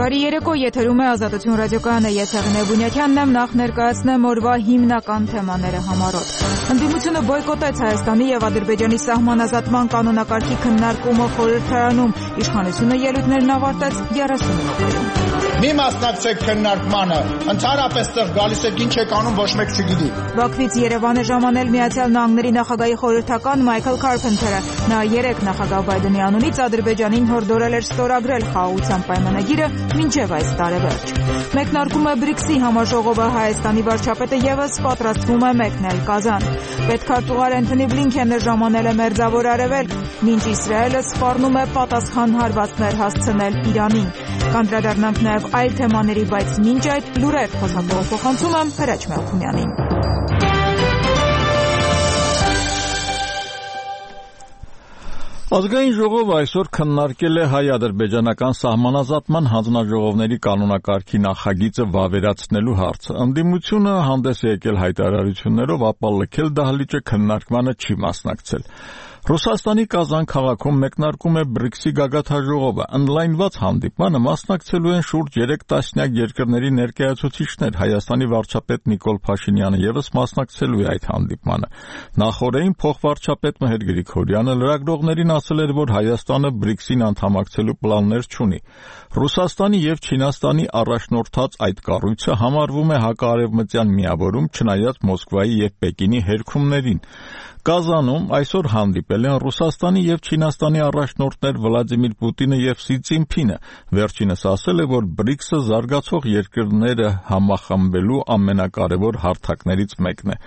Բարի երեկո, եթերում է Ազատություն ռադիոկայանը, ես Հեղինե Բունյակյանն եմ, նախ ներկայացնեմ օրվա հիմնական թեմաները համառոտ։ Ընդդիմությունը բոյկոտեց Հայաստանի եւ Ադրբեջանի սահմանազատման կանոնակարգի քննարկումը խորհրդարանում, իշխանությունը ելույթներն ավարտեց 30 րոպեում։ Մի մասնակցեք քննարկմանը, ընդհանրապես տեղ գալիս եք ինչ եք անում, ոչ մեկ չգիտի։ Բաքվից Երևան է ժամանել Միացյալ Նահանգների նախագահի խորհրդական Մայքլ Քարփենթերը։ Նա երեկ նախագահ Բայդենի անունից Ադրբեջանին հորդորել էր ստորագրել խաղաղության պայմանագիրը մինչև այս տարեվերջ։ Մեկնարկում է BRICS-ի համաժողովը, Հայաստանի վարչապետը եւս պատրաստվում է մեկնել Կազան։ Պետքարտուղար Անթոնի Բլինքենը ժամանել է Մերձավոր Արևելք, մինչ Իսրայելը սպառնում է պատասխան հարվածներ հասցնել Իրանին։ Կանդրադառնանք նաև այլ թեմաների, բայց մինչ այդ լուրեր փոխանցում եմ Հրաչ Մելքումյանին։ Ազգային ժողովը այսօր քննարկել է հայ-ադրբեջանական սահմանազատման հանձնաժողովների կանոնակարգի նախագիծը վավերացնելու հարցը։ Ընդդիմությունը հանդես է եկել հայտարարություններով, ապա լքել դահլիճը քննարկմանը չի մասնակցել։ Ռուսաստանի Կազան քաղաքում մեկնարկում է BRICS-ի գագաթնաժողովը։ Ընդլայնված հանդիպմանը մասնակցելու են շուրջ 3 տասնյակ երկրների ներկայացուցիչներ։ Հայաստանի վարչապետ Նիկոլ Փաշինյանը ևս մասնակցելու է այդ հանդիպմանը։ Նախորդին փոխվարչապետ Մհեր Գրիգորյանը լրագրողներին ասել էր, որ Հայաստանը BRICS-ին անդամակցելու պլաններ չունի։ Ռուսաստանի եւ Չինաստանի առաջնորդած այդ կառույցը համարվում է հակաարևմտյան միավորում, չնայած Մոսկվայի եւ Պեկինի հերքումներին։ Կազանում այսօր հանդիպել են Ռուսաստանի եւ Չինաստանի առաջնորդներ Վլադիմիր Պուտինը եւ Սի Ցզինփինը։ Վերջինս ասել է, որ BRICS-ը զարգացող երկրները համախմբելու ամենակարևոր հարթակներից մեկն է։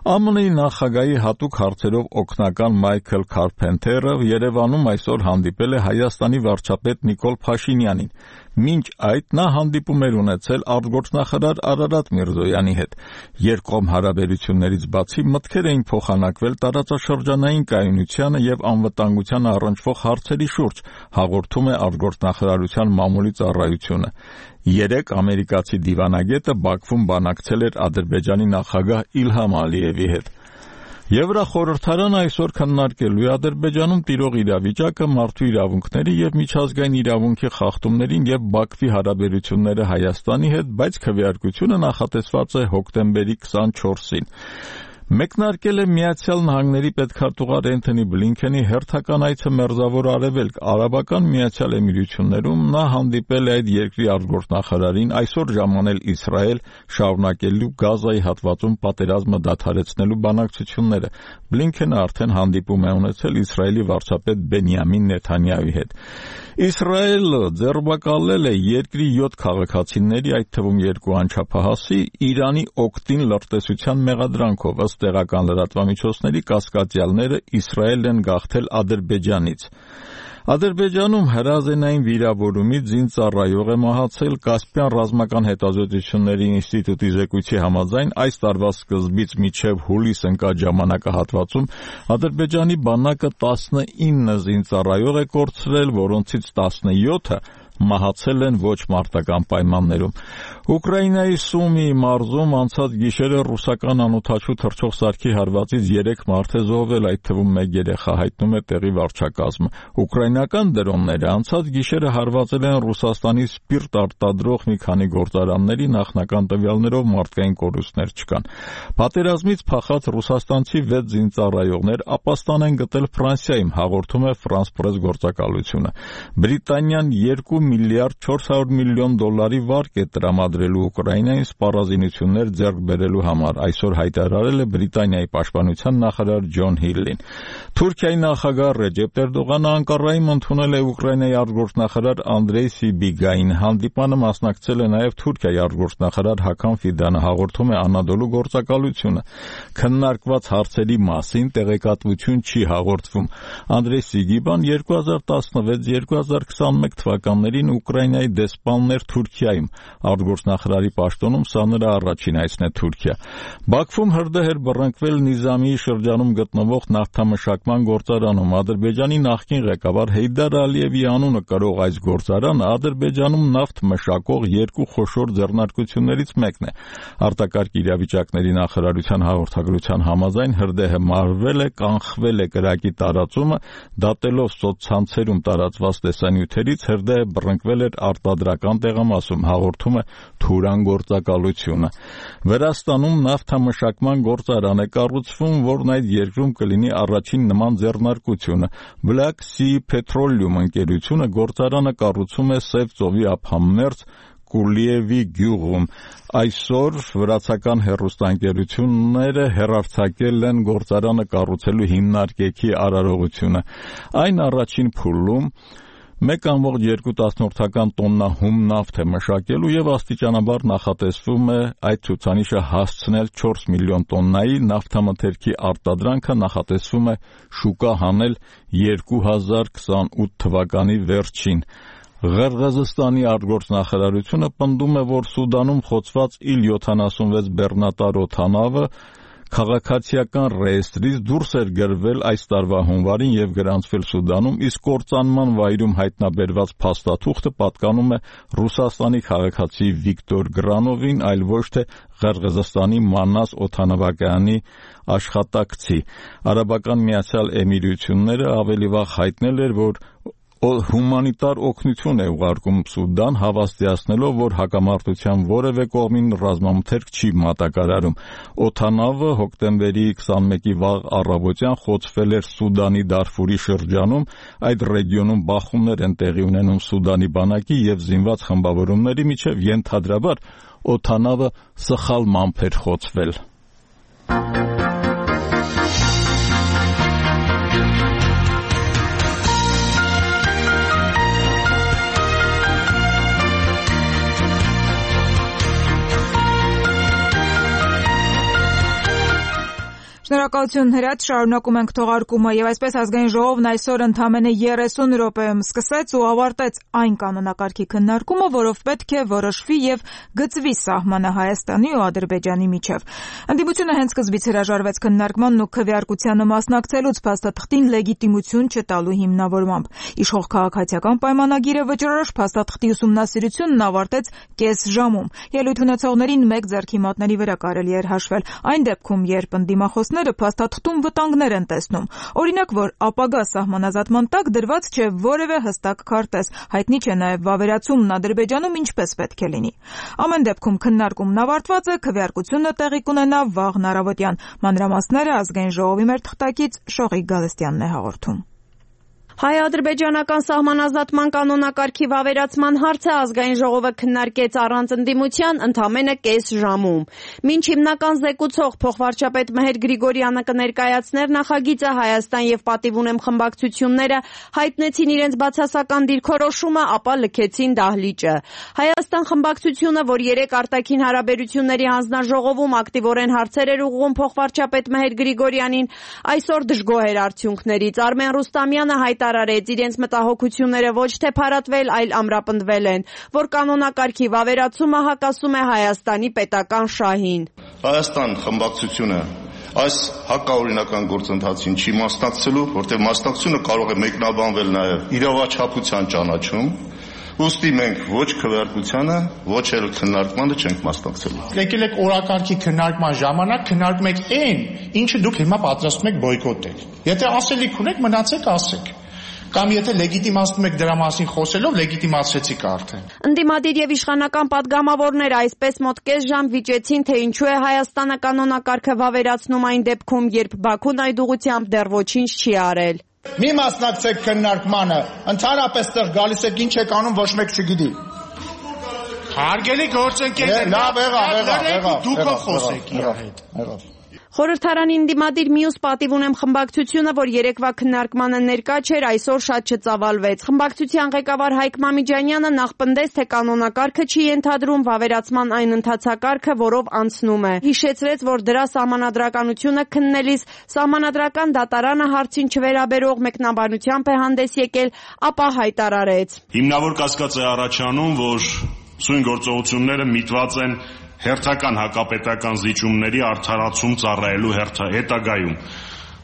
ԱՄՆ-ի նախագահի հատուկ հարցերով օգնական Մայքլ Քարփենթերը Երևանում այսօր հանդիպել է Հայաստանի վարչապետ Նիկոլ Փաշինյանին։ Մինչ այդ նա հանդիպում էր ունեցել արտգործնախարար Արարատ Միրզոյանի հետ։ Երկկողմ հարաբերություններից բացի մտքեր էին փոխանակվել տարածաշրջանային կայունությանը եւ անվտանգությանը առնչվող հարցերի շուրջ, հաղորդում է արտգործնախարարության մամուլի ծառայությունը։ Երեկ ամերիկացի դիվանագետը Բաքվում բանակցել էր Ադրբեջանի նախագահ Իլհամ Ալիևի հետ։ Եվրախորհրդարանը այսօր քննարկելու է Ադրբեջանում տիրող իրավիճակը, մարդու իրավունքների եւ միջազգային իրավունքի խախտումներին եւ Բաքվի հարաբերությունները Հայաստանի հետ, բայց քվեարկությունը նախատեսված է հոկտեմբերի 24-ին։ Մեկնարկել է Միացյալ Նահանգների պետքարտուղար Անթոնի Բլինքենի հերթական այցը Մերձավոր Արևելք, Արաբական Միացյալ Էմիրություններում։ Նա հանդիպել է այդ երկրի արտգործնախարարին, այսօր ժամանել Իսրայել, շարունակելու Գազայի հատվածում պատերազմը դադարեցնելու բանակցությունները։ Բլինքենը արդեն հանդիպում է ունեցել Իսրայելի վարչապետ Բենյամին Նեթանյահուի հետ։ Իսրայելը ձեռբակալել է երկրի 7 քաղաքացիների, այդ թվում 2 անչափահասի, Իրանի օգտին լրտեսության մեղադրանքով։ Ըստ տեղական լրատվամիջոցների կասկածյալները Իսրայելն են գաղթել Ադրբեջանից։ Ադրբեջանում հրազենային վիրավորումից զինծառայող է մահացել։ Կասպյան ռազմական հետազոտությունների ինստիտուտի զեկույցի համաձայն այս տարվա սկզբից մինչև հուլիս ընկած ժամանակահատվածում Ադրբեջանի բանակը 19 զինծառայող է կորցրել, որոնցից 17-ը մահացել են ոչ մարտական պայմաններում։ Ուկրաինայի Սումիի մարզում անցած գիշերը ռուսական անօդաչու թռչող սարքի հարվածից 3 մարդ է զոհվել, այդ թվում 1 երեխա, հայտնում է տեղի վարչակազմը։ Ուկրաինական դրոնները անցած գիշերը հարվածել են Ռուսաստանի սպիրտ արտադրող մի քանի գործարանների, նախնական տվյալներով մարդկային կորուստներ չկան։ Պատերազմից փախած ռուսաստանցի 6 զինծառայողներ ապաստան են գտել Ֆրանսիայում, հաղորդում է France Press գործակալությունը։ Բրիտանիան 2 միլիարդ 400 միլիոն դոլարի վարկ է տրամադրելու Ուկրաինային սպառազինություններ ձեռք բերելու համար, այսօր հայտարարել է Բրիտանիայի պաշտպանության նախարար Ջոն Հիլլին։ Թուրքիայի նախագահ Ռեջեփ Էրդողանը Անկարայում ընդունել է Ուկրաինայի արտգործնախարար Անդրեյ Սիբիգային։ Հանդիպանը մասնակցել է նաև Թուրքիայի արտգործնախարար Հական Ֆիդանը, հաղորդում է Անադոլու գործակալությունը։ Քննարկված հարցերի մասին տեղեկատվություն չի հաղորդվում։ Անդրեյ Սիգիբան 2016-2021 թվականներին Ուկրաինայի դեսպանն էր Թուրքիայում։ արտգործնախարարի պաշտոնում սա նրա առաջին այցն է Թուրքիա։ Բաքվում հրդեհ էր բռնկվել Նիզամիի շրջանում գտնվող նավթամշակման գործարանում։ Ադրբեջանի նախկին ղեկավար Հեյդար Ալիևի անունը կրող այս գործարանը Ադրբեջանում նավթ մշակող երկու խոշոր ձեռնարկություններից մեկն է։ Արտակարգ իրավիճակների նախարարության հաղորդագրության համաձայն հրդեհը մարվել է, կանխվել է կրակի տարածումը, դատելով սոցցանցերում տարածված տեսանյութերից հրդեհը բռնկվել էր արտադրական տեղամասում, հաղորդում է Թուրան գործակալությունը։ Վրաստանում նավթամշակման գործարան է կառուցվում, որն այդ երկրում կլինի առաջին նման ձեռնարկությունը։ Black Sea Petroleum ընկերությունը գործարանը կառուցում է Սև ծովի ափամերձ Կուլիևի գյուղում։ Այսօր վրացական հեռուստաընկերությունները հեռարձակել են գործարանը կառուցելու հիմնարկեքի արարողությունը։ Այն առաջին փուլում 1.2 տոննա հում նավթ է մշակելու եւ աստիճանաբար նախատեսվում է այդ ցուցանիշը հասցնել 4 միլիոն տոննայի, նավթամթերքի արտադրանքը նախատեսվում է շուկա հանել 2028 թվականի վերջին։ Ղրղըզստանի արտգործնախարարությունը պնդում է, որ Սուդանում խոցված Il-76 բեռնատար օդանավը քաղաքացիական ռեեստրից դուրս էր գրվել այս տարվա հունվարին եւ գրանցվել Սուդանում, իսկ կործանման վայրում հայտնաբերված փաստաթուղթը պատկանում է Ռուսաստանի քաղաքացի Վիկտոր Գրանովին, այլ ոչ թե Ղրղըզստանի Մանաս օդանավակայանի աշխատակցի։ Արաբական Միացյալ Էմիրությունները ավելի վաղ հայտնել էր, որ հումանիտար օգնություն է ուղարկում Սուդան, հավաստիացնելով, որ հակամարտության որևէ կողմին ռազմամթերք չի մատակարարում։ Օդանավը հոկտեմբերի 21-ի վաղ առավոտյան խոցվել էր Սուդանի Դարֆուրի շրջանում, այդ ռեգիոնում բախումներ են տեղի ունենում Սուդանի բանակի եւ զինված խմբավորումների միջև, ենթադրաբար օդանավը սխալմամբ էր խոցվել։ Շնորհակալություն Հրաչ, շարունակում ենք թողարկումը եւ այսպես ազգային ժողովն այսօր ընդամենը 30 րոպեում սկսեց ու ավարտեց այն կանոնակարգի քննարկումը, որով պետք է որոշվի եւ գծվի սահմանը Հայաստանի ու Ադրբեջանի միջև։ Ընդդիմությունը հենց սկզբից հրաժարվեց քննարկմանն ու քվեարկությանը մասնակցելուց փաստաթղթին լեգիտիմություն չտալու հիմնավորմամբ։ Իշխող քաղաքացիական պայմանագիրը վճռորոշ փաստաթղթի ուսումնասիրությունն ավարտեց կես ժամում։ Ելույթ ունեցողներին մեկ ձեռքի մատների վրա կարելի էր հաշվել։ Այն դեպքում, երբ ընդդիմախոսները փաստաթղթում վտանգներ են տեսնում։ Օրինակ, որ ապագա սահմանազատման տակ դրված չէ որևէ հստակ քարտեզ, հայտնի չէ նաև վավերացումն Ադրբեջանում ինչպես պետք է լինի։ Ամեն դեպքում քննարկումն ավարտված է, քվեարկությունը տեղի կունենա վաղն առավոտյան։ Մանրամասները ազգային ժողովի մեր թղթակից Շողիկ Գալստյանն է հաղորդում։ Հայ-ադրբեջանական սահմանազատման կանոնակարգի վավերացման հարցը ազգային ժողովը քննարկեց առանց ընդդիմության ընդամենը կես ժամում։ Մինչ հիմնական զեկուցող փոխվարչապետ Մեհեր Գրիգորյանը կներկայացներ նախագիծը, Հայաստան եւ Պատիվ ունեմ խմբակցությունները հայտնեցին իրենց բացասական դիրքորոշումը, ապա լքեցին դահլիճը։ Հայաստան խմբակցությունը, որ 3 արտաքին հարաբերությունների հանձնաժողովում ակտիվորեն հարցեր էր ուղղում փոխվարչապետ Մեհեր Գրիգորյանին, այսօր դժգոհ էր արդյունքներից։ Արմեն Ռուստամյանը հայտարարեց, իրենց մտահոգությունները ոչ թե փարատվել, այլ ամրապնդվել են, որ կանոնակարգի վավերացումը հակասում է Հայաստանի պետական շահին։ Հայաստան խմբակցությունը այս հակաօրինական գործընթացին չի մասնակցելու, որտեղ մասնակցությունը կարող է մեկնաբանվել նաև իրավաչափության ճանաչում, ուստի մենք ոչ քվեարկությանը, ոչ էլ քննարկմանը չենք մասնակցելու։ Եկել եք օրակարգի քննարկման ժամանակ քննարկում եք այն, ինչը դուք հիմա պատրաստում եք բոյկոտել։ Եթե ասելիք ունեք, մնացեք ասեք։ Կամ եթե լեգիտիմացնում եք դրա մասին խոսելով, լեգիտիմացրեցիք արդեն։ Ընդդիմադիր եւ իշխանական падգամավորները այսպես մոտ կես ժամ վիճեցին, թե ինչու է Հայաստանը կանոնակարգը վավերացնում այն դեպքում, երբ Բաքուն այդ ուղղությամբ դեռ ոչինչ չի արել։ Մի մասնակցեք քննարկմանը, ընդհանրապես տեղ գալիս եք ինչ եք անում, ոչ մեկ չգիտի։ Հարգելի գործընկերներ, լավ եղավ, դուք խոսեք իր հետ։ Խորհրդարանի ընդդիմադիր մյուս Պատիվ ունեմ խմբակցությունը, որ երեկվա քննարկմանը ներկա չէր, այսօր շատ չծավալվեց։ Խմբակցության ղեկավար Հայկ Մամիջանյանը նախ պնդեց, թե կանոնակարգը չի ենթադրում վավերացման այն ընթացակարգը, որով անցնում է։ Հիշեցրեց, որ դրա սահմանադրականությունը քննելիս սահմանադրական դատարանը հարցին չվերաբերող մեկնաբանությամբ է հանդես եկել, ապա հայտարարեց. Հիմնավոր կասկած է առաջանում, որ Սույն գործողությունները միտված են հերթական հակապետական զիջումների արդարացում ծառայելու հետագայում։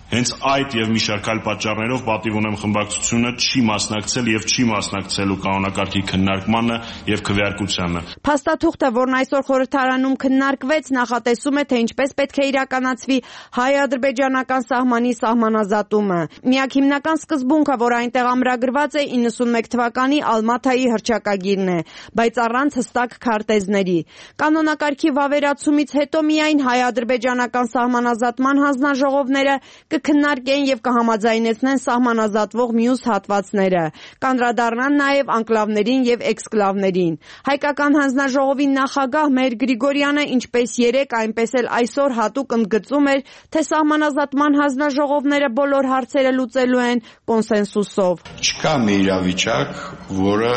Հենց այդ եւ մի շարք այլ պատճառներով պատիվ ունեմ խմբակցությունը չի մասնակցել եւ չի մասնակցելու կանոնակարգի քննարկմանը եւ քվեարկությանը։ Փաստաթուղթը, որն այսօր խորհրդարանում քննարկվեց, նախատեսում է, թե ինչպես պետք է իրականացվի հայ-ադրբեջանական սահմանի սահմանազատումը։ Միակ հիմնական սկզբունքը, որ այնտեղ ամրագրված է 91 թվականի Ալմաթայի հռչակագիրն է, բայց առանց հստակ քարտեզների։ Կանոնակարգի վավերացումից հետո միայն հայ-ադրբեջանական սահմանազատման հանձնաժողովները կքննարկեն եւ կհամաձայնեցնեն սահմանազատվող մյուս հատվածները, կանդրադառնան նաեւ անկլավներին եւ էքսկլավներին։ Հայկական հանձնաժողովի նախագահ Մհեր Գրիգորյանը ինչպես երեկ, այնպես էլ այսօր հատուկ ընդգծում էր, թե սահմանազատման հանձնաժողովները բոլոր հարցերը լուծելու են կոնսենսուսով։ Չկա մի իրավիճակ, որը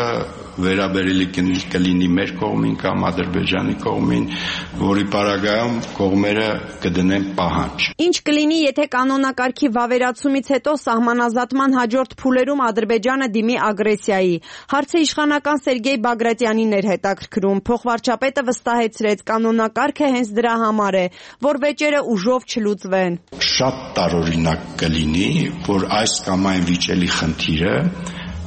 վերաբերելի կլինի մեր կողմին կամ Ադրբեջանի կողմին, որի պարագայում կողմերը կդնեն պահանջ։ Ինչ կլինի, եթե կանոնակարգի վավերացումից հետո սահմանազատման հաջորդ փուլերում Ադրբեջանը դիմի ագրեսիայի։ Հարցը իշխանական Սերգեյ Բագրատյանին էր հետաքրքրում։ Փոխվարչապետը վստահեցրեց, կանոնակարգը հենց դրա համար է, որ վեճերը ուժով չլուծվեն։ Շատ տարօրինակ կլինի, որ այս կամ այն վիճելի խնդիրը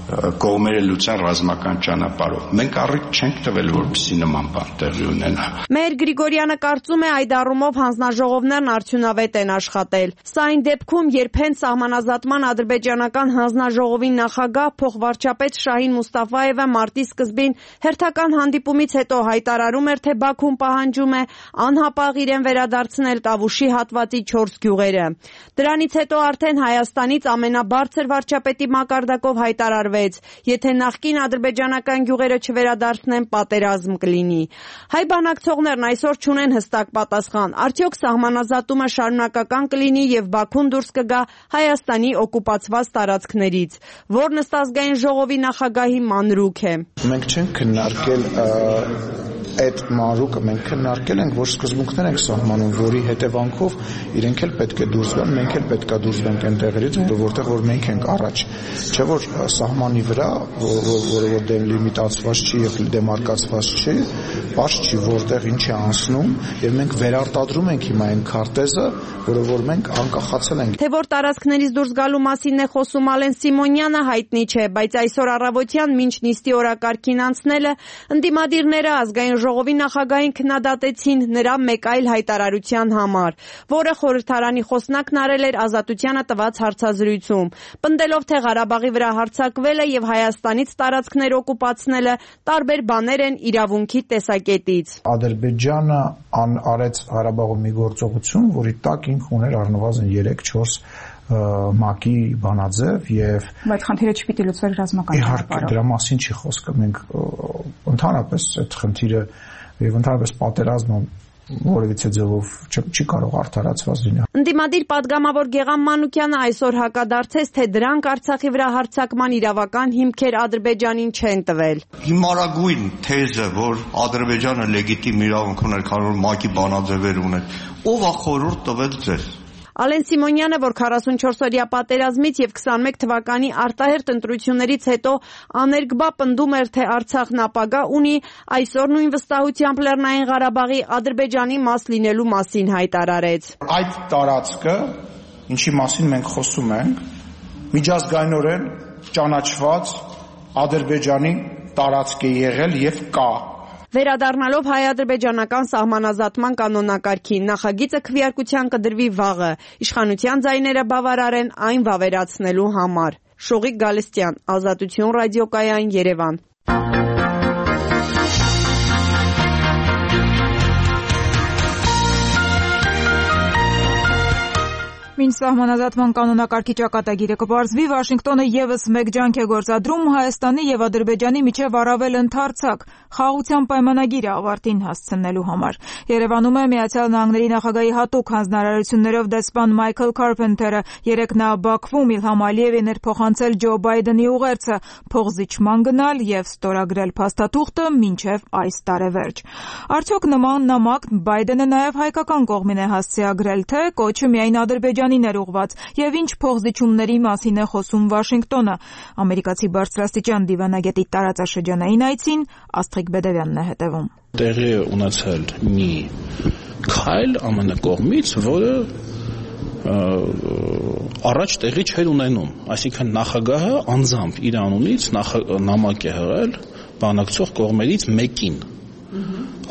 կողմերը լուծեն ռազմական ճանապարհով։ Մենք առիթ չենք տվել, որպեսզի նման բան տեղի ունենա։ Մհեր Գրիգորյանը կարծում է, այդ առումով հանձնաժողովներն արդյունավետ են աշխատել։ Սա այն դեպքում, երբ հենց սահմանազատման ադրբեջանական հանձնաժողովի նախագահ փոխվարչապետ Շահին Մուստաֆաևը մարտի սկզբին հերթական հանդիպումից հետո հայտարարում էր, թե Բաքուն պահանջում է անհապաղ իրեն վերադարձնել Տավուշի հատվածի 4 գյուղերը։ Դրանից հետո արդեն Հայաստանից ամենաբարձր վարչապետի մակարդակով հայտարարվեց, եթե նախկին ադրբեջանական գյուղերը չվերադարձնեն, պատերազմ կլինի։ Հայ բանակցողներն այսօր չունեն հստակ պատասխան, արդյոք սահմանազատումը շարունակական կլինի եւ Բաքուն դուրս կգա Հայաստանի օկուպացված տարածքներից, որն ըստ ազգային ժողովի նախագահի մանրուք է։ Մենք չենք քննարկել այդ մանրուկը, մենք քննարկել ենք, որ սկզբունքներ ենք սահմանում, որի հետևանքով իրենք էլ պետք է դուրս գան, մենք էլ պետք է դուրս գանք այն տեղերից, որտեղ որ մենք ենք առաջ, չէ՞ որ սահմանի վրա, որը որ դելիմիտացված չի եւ դեմարկացված չի, բաց չի, որտեղ ինչ է անցնում, եւ մենք վերարտադրում ենք հիմա այն քարտեզը, որը որ մենք անկախացել ենք։ Թե որ տարածքներից դուրս գալու մասին է խոսում Ալեն Սիմոնյանը, հայտնի չէ, բայց այսօր առավոտյան մինչ նիստի օրակարգին անցնելը ընդդիմադիրները ազգային ժողովի նախագահին քննադատեցին նրա մեկ այլ հայտարարության համար, որը խորհրդարանի խոսնակն արել էր Ազատությանը տված հարցազրույցում, պնդելով, թե Ղարաբաղի վրա հարձակվելը եւ Հայաստանից տարածքներ օկուպացնելը տարբեր բաներ են իրավունքի տեսակետից։ Ադրբեջանը արեց Ղարաբաղում մի գործողություն, որի տակ ինքը ուներ առնվազն 3-4 ՄԱԿ-ի բանաձև եւ բայց խնդիրը չպիտի լուծվեր ռազմական ճանապարհով։ Իհարկե, դրա մասին չի խոսքը։ Մենք ընդհանրապես այդ խնդիրը եւ ընդհանրապես պատերազմը որևիցե ձևով չի կարող արդարացված լինել։ Ընդդիմադիր падգամավոր Գեգամ Մանուկյանը այսօր հակադարձեց, թե դրանք Արցախի վրա հարձակման իրավական հիմքեր Ադրբեջանին չեն տվել։ Հիմարագույն թեզը, որ Ադրբեջանը լեգիտիմ իրավունք ուներ, քանի որ ՄԱԿ-ի բանաձևեր ուներ, ով է խորհուրդ տվել ձեզ։ Ալեն Սիմոնյանը, որ 44-օրյա պատերազմից եւ 21 թվականի արտահերթ ընտրություններից հետո աներկբա պնդում էր, թե Արցախն ապագա ունի, այսօր նույն վստահությամբ Լեռնային Ղարաբաղի Ադրբեջանի մաս լինելու մասին հայտարարեց։ Այդ տարածքը, ինչի մասին մենք խոսում ենք, միջազգայինորեն ճանաչված Ադրբեջանի տարածք է եղել եւ կա։ Վերադառնալով հայ-ադրբեջանական սահմանազատման կանոնակարգին, նախագիծը քվեարկության կդրվի վաղը, իշխանության ձայները բավարար են այն վավերացնելու համար։ Շողիկ Գալստյան, Ազատություն ռադիոկայան, Երևան։ Մինչ սահմանազատման կանոնակարգի ճակատագիրը կպարզվի, Վաշինգտոնը եւս մեկ ջանք է գործադրում Հայաստանի եւ Ադրբեջանի միջև առավել ընդարձակ խաղաղության պայմանագիրը ավարտին հասցնելու համար։ Երևանում է Միացյալ Նահանգների նախագահի հատուկ հանձնարարություններով դեսպան Մայքլ Քարփենթերը երեկ նա Բաքվում Իլհամ Ալիևին էր փոխանցել Ջո Բայդենի ուղերձը փոխզիջման գնալ եւ ստորագրել փաստաթուղթը մինչեւ այս տարեվերջ։ Արդյոք նման նամակ Բայդենը նաեւ հայկական կողմին է հասցեագրել, թե կոչը միայն Ադրբեջանի Ադրբեջանին էր ուղված եւ ինչ փոխզիջումների մասին է խոսում Վաշինգտոնը։ Ամերիկացի բարձրաստիճան դիվանագետի տարածաշրջանային այցին Աստղիկ Բեդևյանն է հետևում։ Տեղի է ունեցել մի քայլ ԱՄՆ կողմից, որը առաջ տեղի չէր ունենում, այսինքն նախագահը անձամբ իր անունից նամակ է հղել բանակցող կողմերից մեկին,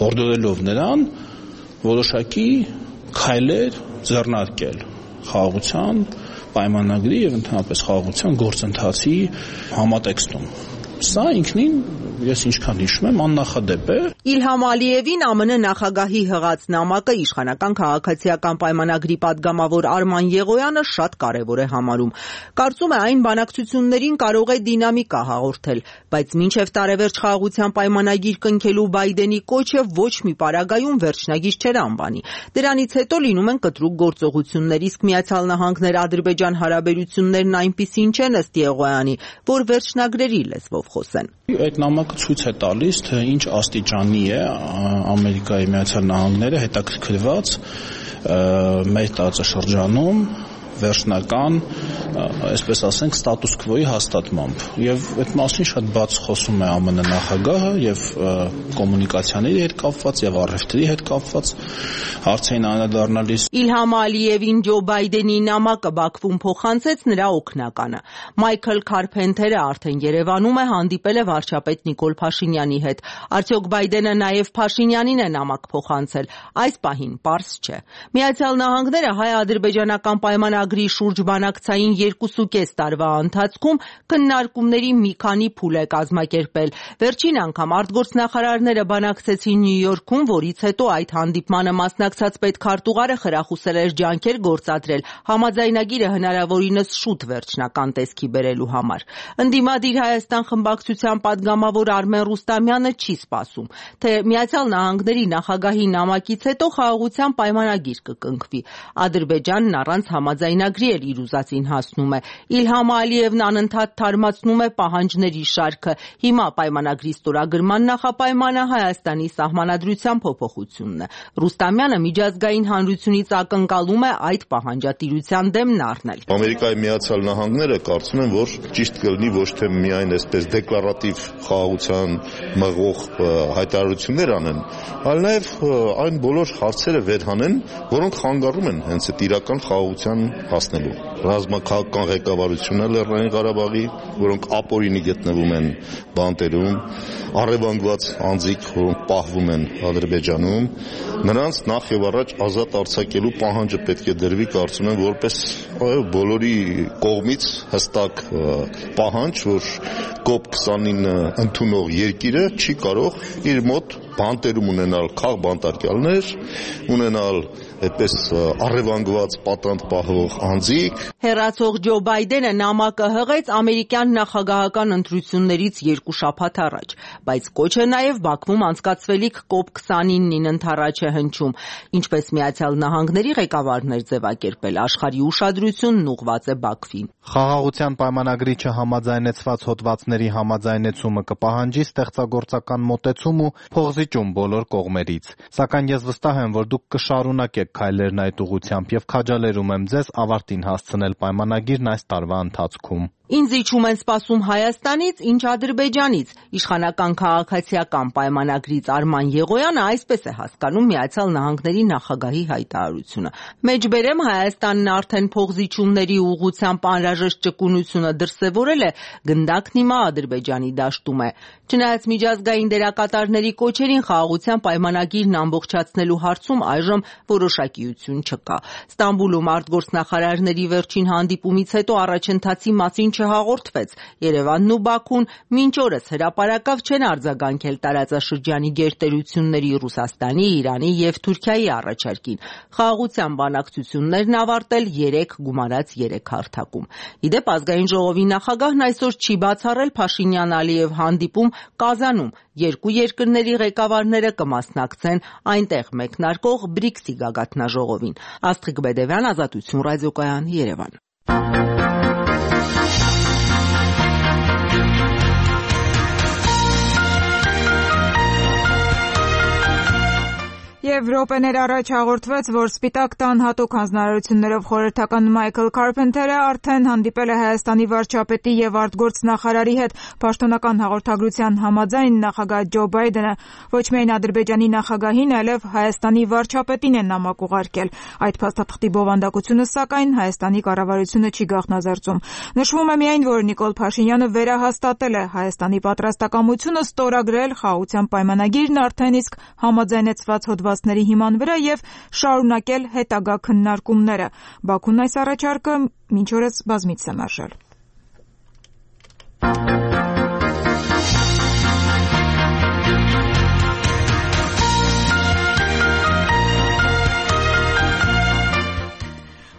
հորդորելով նրան որոշակի քայլեր ձեռնարկել խաղաղության պայմանագրի եւ ընդհանրապես խաղաղության գործընթացի համատեքստում։ Սա ինքնին, ես ինչքան հիշում եմ, աննախադեպ է։ Իլհամ Ալիևին ԱՄՆ նախագահի հղած նամակը իշխանական քաղաքացիական պայմանագրի պատգամավոր Արման Եղոյանը շատ կարևոր է համարում։ Կարծում է այն բանակցություններին կարող է դինամիկա հաղորդել, բայց մինչև տարեվերջ խաղաղության պայմանագիր կնքելու Բայդենի կոչը ոչ մի պարագայում վերջնագիր չէր անվանի։ Դրանից հետո լինում են կտրուկ գործողություններ, իսկ Միացյալ Նահանգներ Ադրբեջան հարաբերություններն այնպիսին չեն ըստ Եղոյանի, որ վերջնագրերի լեզվով խոսեն։ Այդ նամակը ցույց է տալիս, թե ինչ աստիճանի է Ամերիկայի Միացյալ Նահանգները հետաքրքրված մեր տարածաշրջանում վերջնական, այսպես ասենք, ստատուս քվոյի հաստատմամբ։ Եվ այդ մասին շատ բաց խոսում է ԱՄՆ նախագահը եւ կոմունիկացիաների հետ կապված եւ առևտրի հետ կապված հարցերին անդրադառնալիս։ Իլհամ Ալիևին Ջո Բայդենի նամակը Բաքվում փոխանցեց նրա օգնականը։ Մայքլ Քարփենթերը արդեն Երևանում է, հանդիպել է վարչապետ Նիկոլ Փաշինյանի հետ։ Արդյոք Բայդենը նաեւ Փաշինյանին է նամակ փոխանցել։ Այս պահին պարզ չէ։ Միացյալ Նահանգները հայ-ադրբեջանական պայմանագրի շուրջ բանակցային 2.5 տարվա ընթացքում քննարկումների մի քանի փուլ է կազմակերպել։ Վերջին անգամ արտգործնախարարները բանակցեցին Նյու Յորքում, որից հետո այդ հանդիպմանը մասնակցած պետքարտուղարը խրախուսել էր ջանքեր գործադրել համաձայնագիրը հնարավորինս շուտ վերջնական տեսքի բերելու համար։ Ընդդիմադիր Հայաստան խմբակցության պատգամավոր Արմեն Ռուստամյանը չի սպասում, թե Միացյալ Նահանգների նախագահի նամակից հետո խաղաղության պայմանագիր կկնքվի։ Ադրբեջանն առանց համաձայնագրի էլ իր ուզածին հասնում է։ Իլհամ Ալիևն անընդհատ թարմացնում է պահանջների շարքը։ Հիմա պայմանագրի ստորագրման նախապայմանը Հայաստանի սահմանադրության փոփոխությունն է։ Ռուստամյանը միջազգային հանրությունից ակնկալում է այդ պահանջատիրության դեմն առնել։ Ամերիկայի Միացյալ Նահանգները կարծում են, որ ճիշտ կլինի ոչ թե միայն այսպես դեկլարատիվ խաղաղության մղող հայտարարություններ անեն, այլ նաև այն բոլոր հարցերը վերհանեն, որոնք խանգարում են հենց այդ իրական խաղաղության հասնելու։ Ռազմաքաղաքական ղեկավարությունը Լեռնային Ղարաբաղի, որոնք ապօրինի գտնվում են բանտերում, առևանգված անձիկ, որոնք պահվում են Ադրբեջանում, նրանց նախ եւ առաջ ազատ արձակելու պահանջը պետք է դրվի, կարծում եմ, որպես բոլորի կողմից հստակ պահանջ, որ COP29 ընդունող երկիրը չի կարող իր մոտ բանտերում ունենալ քաղբանտարկյալներ, ունենալ այդպես առևանգված պատանդ պահող անձիկ։ Հեռացող Ջո Բայդենը նամակը հղեց ամերիկյան նախագահական ընտրություններից 2 շաբաթ առաջ, բայց կոչը նաև Բաքվում անցկացվելիք COP29-ին ընդառաջ է հնչում, ինչպես Միացյալ Նահանգների ղեկավարն էր ձևակերպել, աշխարհի ուշադրությունն ուղղված է Բաքվին։ Խաղաղության պայմանագրի չհամաձայնեցված հոդվածների համաձայնեցումը կպահանջի ստեղծագործական մոտեցում ու փոխզիջում բոլոր կողմերից։ Սակայն ես վստահ եմ, որ դուք կշարունակեք քայլերն այդ ուղղությամբ եւ քաջալերում եմ ձեզ ավարտին հասցնել պայմանագիրն այս տարվա ընթացքում։ Ինձ իջում են սպասում Հայաստանից, ինչ Ադրբեջանից։ Իշխանական քաղաքացիական պայմանագրից Արման Եղոյանը այսպես է հասկանում Միացյալ Նահանգների նախագահի հայտարարությունը։ Մեջբերեմ Հայաստանն արդեն փոխզիջումների ուղղությամբ անհրաժեշտ ճկունությունը դրսևորել է, գնդակն հիմա Ադրբեջանի դաշտում է։ Չնայած միջազգային դերակատարների կոչերին խաղաղության պայմանագիրն ամբողջացնելու հարցում այժմ որոշակիություն չկա։ Ստամբուլում արտգործնախարարների վերջին հանդիպումից հետո առաջընթացի մասին չհաղորդվեց։ Երևանն ու Բաքուն մինչ օրս հրապարակավ չեն արձագանքել տարածաշրջանի գերտերությունների Ռուսաստանի, Իրանի եւ Թուրքիայի առաջարկին։ Խաղաղության բանակցություններն ավարտել 3 գումարած 3 հարթակում։ Իդեպ ազգային ժողովի նախագահն այսօր չի բացառել Փաշինյան-Ալիև հանդիպում Կազանում։ Երկու երկրների ղեկավարները կմասնակցեն այնտեղ մեկնարկող BRICS-ի գագաթնաժողովին։ Աստղիկ Բեդևյան, Ազատություն ռադիոկայան, Երևան։ Եվ րոպեներ առաջ հաղորդվեց, որ Սպիտակ տան հատուկ հանձնարարություններով խորհրդական Մայքլ Քարփենթերը արդեն հանդիպել է Հայաստանի վարչապետի եւ արտգործնախարարի հետ։ Պաշտոնական հաղորդագրության համաձայն նախագահ Ջո Բայդենը ոչ միայն Ադրբեջանի նախագահին, այլև Հայաստանի վարչապետին է նամակ ուղարկել։ Այդ փաստաթղթի բովանդակությունը, սակայն, Հայաստանի կառավարությունը չի գաղտնազարծում։ Նշվում է միայն, որ Նիկոլ Փաշինյանը վերահաստատել է Հայաստանի պատրաստակամությունը ստորագրել խաղաղության պայմանագիրն արդեն իսկ համաձայնեցված հոդվածների հիման վրա եւ շարունակել հետագա քննարկումները։ Բաքուն այս առաջարկը մինչ օրս բազմիցս է մերժել։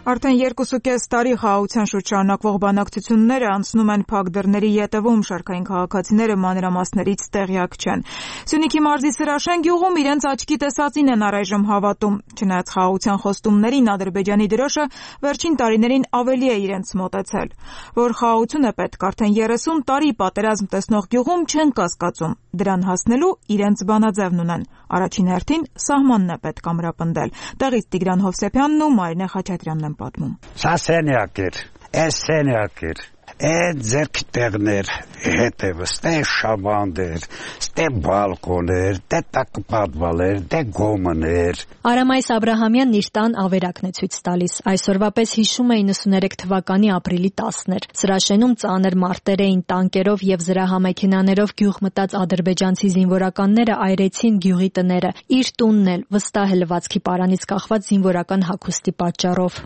Արդեն 2.5 տարի խաղաղության շուրջ շարունակվող բանակցությունները անցնում են փակ դռների ետևում, շարքային քաղաքացիները մանրամասներից տեղյակ չեն։ Սյունիքի մարզի Սրաշեն գյուղում իրենց աչքի տեսածին են առայժմ հավատում։ Չնայած խաղաղության խոստումներին, Ադրբեջանի դրոշը վերջին տարիներին ավելի է իրենց մոտեցել։ Որ խաղաղություն է պետք, արդեն 30 տարի պատերազմ տեսնող գյուղում չեն կասկածում։ Դրան հասնելու իրենց բանաձևն ունեն։ Առաջին հերթին սահմանն է պետք ամրապնդել։ Տեղից Տիգրան Հովսեփյանն ու Մարինե Խաչատրյանն են պատմում։ Սա սենյակ էր, այս սենյակ էր, այդ ձերքի տեղներ հետևը, ստե շաբանդ էր, ստե բալկոն էր, դե տակպատվալ էր, դե գոմն էր։ Արամայիս Աբրահամյանն իր տան ավերակն է ցույց տալիս։ Այսօրվա պես հիշում է 93 թվականի ապրիլի 10-ն էր։ Սրաշենում ծանր մարտեր էին, տանկերով եւ զրահամեքենաներով գյուղ մտած ադրբեջանցի զինվորականները այրեցին գյուղի տները։ Իր տունն էլ վստահ է լվացքի պարանից կախված զինվորական հագուստի պատճառով։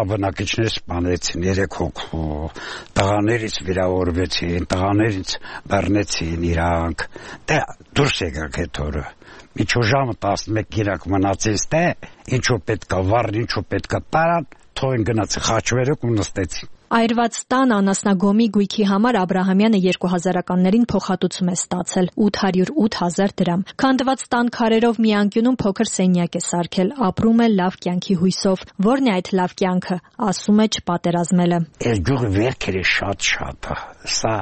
Բնակիչներ սպանեցին 3 հոգու, տղաներից վիրավորվեցին, տղաներից բռնեցին իրանք, դե դուրս եկակ այդ օրը, միջու ժամը 11 իրակ մնացից դե, ինչու պետքա վառն, ինչու պետքա տարան, թողին գնացի խաչվերոք ու նստեցին։ Այրված տան անասնագոմի գույքի համար Աբրահամյանը 2000-ականներին փոխհատուցում է ստացել 808,000 դրամ։ Քանդված տան քարերով մի անկյունում փոքր սենյակ է սարքել, ապրում է լավ կյանքի հույսով։ Որն է այդ լավ կյանքը, ասում է չպատերազմելը։ Այս գյուղը վերքերը շատ է, սա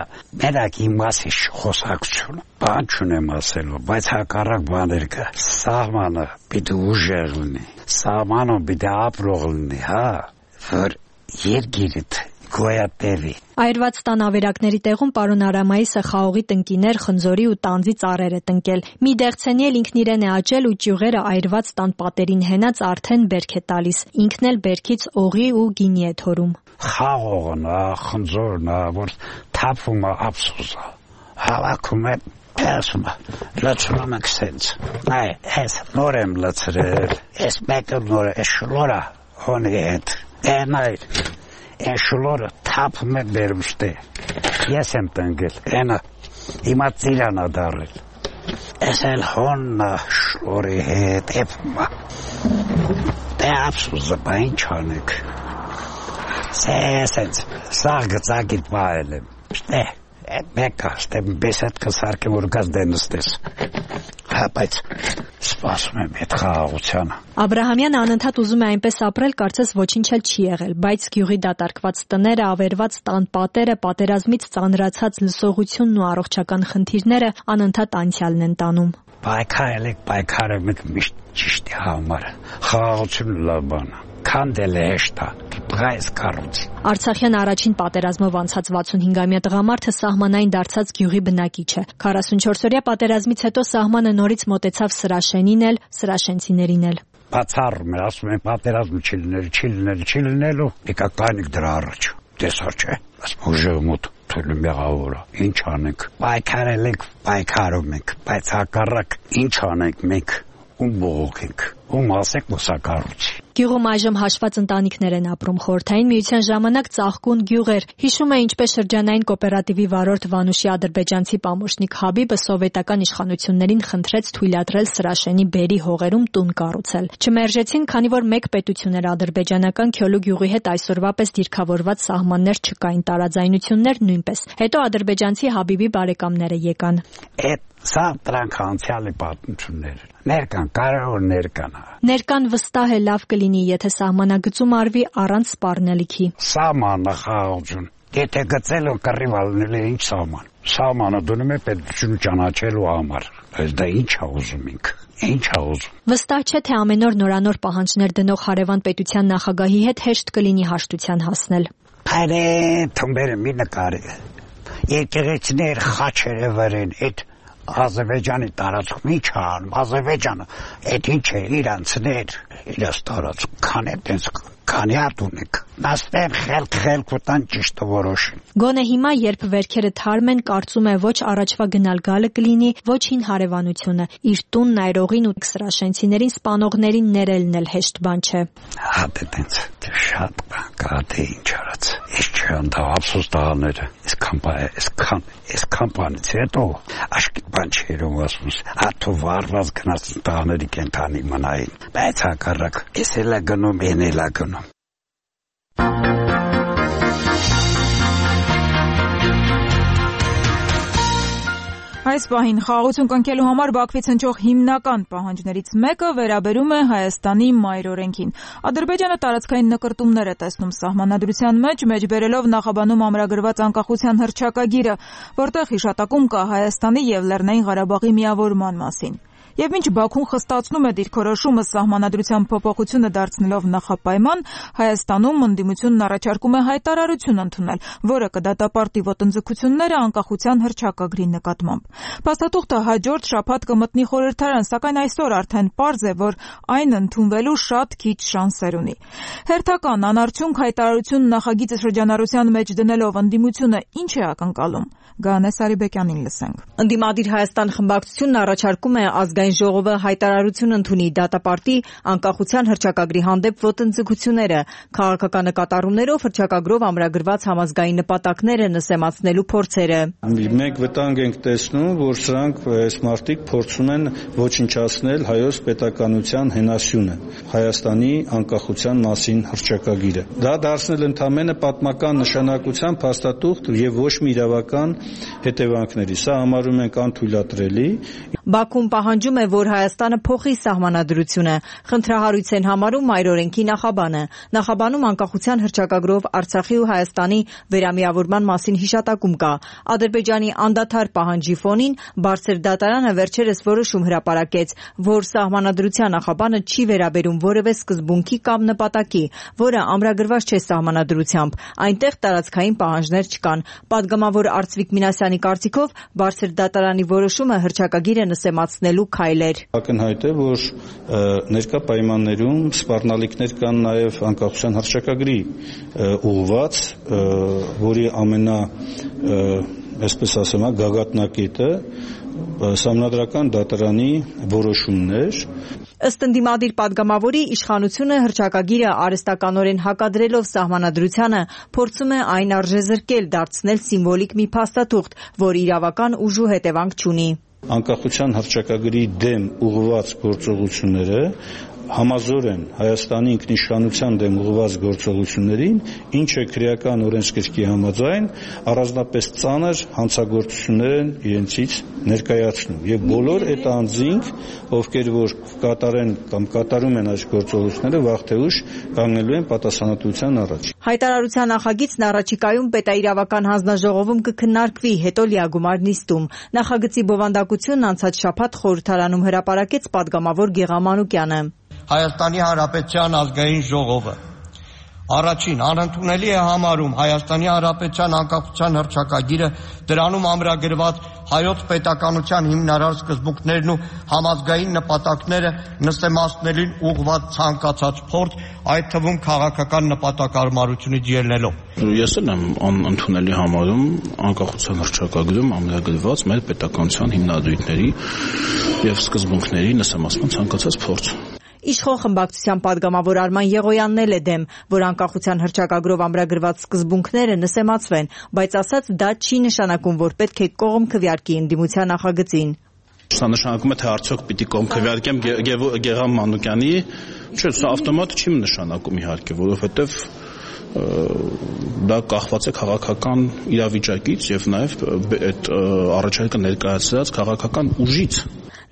մենակ իմ մասի խոսակցություն, բան չունեմ ասելու, բայց հակառակ բաներ կա։ Սահմանը պիտի ուժեղ լինի, սահմանը պիտի ապրող լինի, հա, որ երգիրդ գոյատևի։ Այրված տան ավերակների տեղում պարոն Արամայիսը խաղողի տնկիներ, խնձորի ու տանձի ծառեր է տնկել։ Մի դեղցենի էլ ինքն իրեն է աճել ու ճյուղերը այրված տան պատերին հենած արդեն բերք է տալիս։ Ինքն էլ բերքից օղի ու գինի է թորում։ Խաղողն է, խնձորն է, որ թափում է ափսոսը։ Հավաքում է Ասում լացնում ենք սենց։ Այ, ես նոր եմ լացրել, ես մեկը նոր է շլորա, հոնի հետ։ Այնայր, այն շլորը թափում է բերուստե, ես եմ տնգել, այնը հիմա ծիրան է դարել, ես էլ հոննա շլորի հետ էպում է, դե ապսուզը բա ինչ անեք, սենց, սաղ գծագիտ պահել եմ, շտե, այդ մեկը, շտե բեսետ կսարկեմ, որ գազ դենստես, բայց սպասում եմ այդ խաղաղությանը։ Աբրահամյանը անընդհատ ուզում է այնպես ապրել, կարծես ոչինչ էլ չի եղել, բայց գյուղի դատարկված տները, ավերված տան պատերը, պատերազմից ծանրացած լսողությունն ու առողջական խնդիրները անընդհատ անցյալն են տանում։ Պայքարել եք միշտ ճիշտի համար, խաղաղությունը լավ բան է, քանդել է հեշտ է, բայց կառույց։ Արցախյան առաջին պատերազմով անցած 65-ամյա տղամարդը սահմանային դարձած գյուղի բնակիչ է։ 44-օրյա պատերազմից հետո սահմանը նորից մոտեցավ Սրաշենին էլ, սրաշենցիներին էլ։ Բացառում է, ասում են պատերազմ չի լինելու, եկա կանիք դրա առաջ, տեսար չէ, ասում ուժեղ մոտ թույլում եղավորը, ինչ անենք, պայքարել ենք, պայքարում ենք, բայց հակառակ ինչ անենք մենք, ում բողոքենք, ում ասեք մուսակառույցի։ Գյուղում այժմ հաշված ընտանիքներ են ապրում։ Խորհրդային միության ժամանակ ծաղկուն գյուղ էր։ Հիշում է ինչպես շրջանային կոոպերատիվի վարորդ Վանուշի ադրբեջանցի պամոշնիկ Հաբիբը սովետական իշխանություններին խնդրեց թույլատրել Սրաշենի բերի հողերում տուն կառուցել։ Չմերժեցին, քանի որ մեկ պետություն էր ադրբեջանական Քյոլու գյուղի հետ այսօրվա պես դիրքավորված սահմաններ չկային, տարաձայնություններ նույնպես։ Հետո ադրբեջանցի Հաբիբի բարեկամները եկան։ Սա դրանք անցյալի պատմություններ։ Ներկան, կարող ներկան։ Ներկան վստահ է լավ կլինի, եթե սահմանագծում արվի առանց սպառնելիքի։ Սահմանը խաղաղություն։ Եթե գծել ու կռիվ ալնել է ինչ սահման։ Սահմանը դնում է պետություն ճանաչելու համար։ Բայց դա ինչ է ուզում ինք։ Ինչ է ուզում։ Վստահ չէ, թե ամեն օր նորանոր պահանջներ դնող հարևան պետության նախագահի հետ հեշտ կլինի հաշտության հասնել։ Այրե, թումբերը մի նկարի։ Եկեղեցիներ խաչերը վրեն, այդ Ադրբեջանի տարածքում ինչ անում, Ադրբեջանը, այդ ինչ է իրանցներ, իրաց տարածքում, քանի արդ ունեք, նաստեղ խելք ուտան ճիշտը որոշին։ Գոնե հիմա, երբ վերքերը թարմ են, կարծում է ոչ առաջվա գնալ գալը կլինի, ոչ հին հարևանությունը, իր տունն այրողին ու սրաշենցիներին սպանողներին ներելն էլ հեշտ բան չէ։ Հատ է տենց, շատ բան կա, թե ինչ արած, ես չեմ դա ափսոս տղաները, այսքան բանից հետո, աշկիտ բան չերում ասում, աթո վարված գնաց տղաների կենթանի մնային, բայց հակառակ, ես էլ գնում, են էլ գնում։ Այս պահին խաղաղություն կնքելու համար Բաքվից հնչող հիմնական պահանջներից մեկը վերաբերում է Հայաստանի մայրօրենքին։ Ադրբեջանը տարածքային նկրտումներ է տեսնում սահմանադրության մեջ բերելով նախաբանում ամրագրված անկախության հռչակագիրը, որտեղ հիշատակում կա Հայաստանի եւ Լեռնային Ղարաբաղի միավորման մասին։ Եվ մինչ Բաքուն խստացնում է դիրքորոշումը սահմանադրության փոփոխությունը դարձնելով նախապայման, Հայաստանում ընդդիմությունն առաջարկում է հայտարարություն ընդունել, որը կդատապարտի ոտնձգությունները անկախության հռչակագրի նկատմամբ։ Փաստաթուղթը հաջորդ շաբաթ կմտնի խորհրդարան, սակայն այսօր արդեն պարզ է, որ այն ընդունվելու շատ քիչ շանսեր ունի։ Հերթական անարդյունք հայտարարություն նախագիծը շրջանառության մեջ դնելով ընդդիմությունը ինչ է ակնկալում։ Գանե Սարիբեկյանին լսենք։ Ընդդիմադիր Հայաստան խմբակցությունն առաջարկում է ազգային ժողովը հայտարարություն ընդունի դատապարտի անկախության հռչակագրի հանդեպ ոտնձգությունները, քաղաքական նկատառումներով հռչակագրով ամրագրված համազգային նպատակները նսեմացնելու փորձերը։ Մենք վտանգ ենք տեսնում, որ սրանք այս մարտիկ փորձում են ոչնչացնել հայոց պետականության հենասյունը, Հայաստանի անկախության մասին հռչակագիրը։ Դա դարձնել ընդամենը պատմական նշանակության փաստաթուղթ եւ ոչ մի իրավական հետևանքների։ Սա համարում ենք անթույլատրելի։ Բաքուն պահանջում է, որ Հայաստանը փոխի սահմանադրությունը, խնդրահարույց են համարում մայրօրենքի նախաբանը։ Նախաբանում անկախության հռչակագրով Արցախի ու Հայաստանի վերամիավորման մասին հիշատակում կա։ Ադրբեջանի անդադար պահանջի ֆոնին Բարձր դատարանը վերջերս որոշում հրապարակեց, որ սահմանադրության նախաբանը չի վերաբերում որևէ սկզբունքի կամ նպատակի, որը ամրագրված չէ սահմանադրությամբ։ Այնտեղ տարածքային պահանջներ չկան։ Պատգամավոր Արծվիկ Մինասյանի կարծիքով Բարձր դատարանի որոշումը հռչակագիրը նսեմացնելու քայլ էր։ Ակնհայտ է, որ ներկա պայմաններում սպառնալիքներ կան նաև անկախության հռչակագրի ուղղված, որի այսպես ասեմ, գագաթնակետը Սահմանադրական դատարանի որոշումն էր։ Ըստ ընդդիմադիր պատգամավորի, իշխանությունը հռչակագիրը արհեստականորեն հակադրելով սահմանադրությանը փորձում է այն արժեզրկել, դարձնել սիմվոլիկ մի փաստաթուղթ, որ իրավական ուժ ու հետևանք չունի։ Անկախության հռչակագրի դեմ ուղղված գործողությունները համազոր են Հայաստանի ինքնիշխանության դեմ ուղղված գործողություններին, ինչը քրեական օրենսգրքի համաձայն առանձնապես ծանր հանցագործություններ են իրենցից ներկայացնում եւ բոլոր այդ անձինք, ովքեր որ կատարեն կամ կատարում են այս գործողությունները, վաղ թե ուշ կանգնելու են պատասխանատվության առաջ։ Հայտարարության նախագիծն առաջիկայում պետաիրավական հանձնաժողովում կքննարկվի, հետո լիագումար նիստում։ Նախագծի բովանդակությունն անցած շաբաթ խորհրդարանում հրապարակեց պատգամավոր Գեղամ Մանուկյանը։ Հայաստանի Հանրապետության ազգային ժողովը առաջին անընդունելի է համարում Հայաստանի Հանրապետության անկախության հռչակագիրը, դրանում ամրագրված հայոց պետականության հիմնարար սկզբունքներն ու համազգային նպատակները նսեմացնելին ուղղված ցանկացած փորձ, այդ թվում քաղաքական նպատակարարությունից ելնելով։ Ես էլ եմ անընդունելի համարում անկախության հռչակագրում ամրագրված մեր պետականության հիմնադրույթների եւ սկզբունքների նսեմացման ցանկացած փորձ։ Իշխող խմբակցության պատգամավոր Արման Եղոյանն էլ է դեմ, որ անկախության հռչակագրով ամրագրված սկզբունքները նսեմացվեն, բայց ասաց դա չի նշանակում, որ պետք է կողմ քվեարկի ընդդիմության նախագծին։ Սա նշանակում է, թե արդյոք պիտի կողմ քվեարկեմ Գեղամ Մանուկյանի, չէ, սա ավտոմատ չի նշանակում իհարկե, որովհետև դա կախված է քաղաքական իրավիճակից եւ նաեւ այդ առաջարկը ներկայացրած քաղաքական ուժից։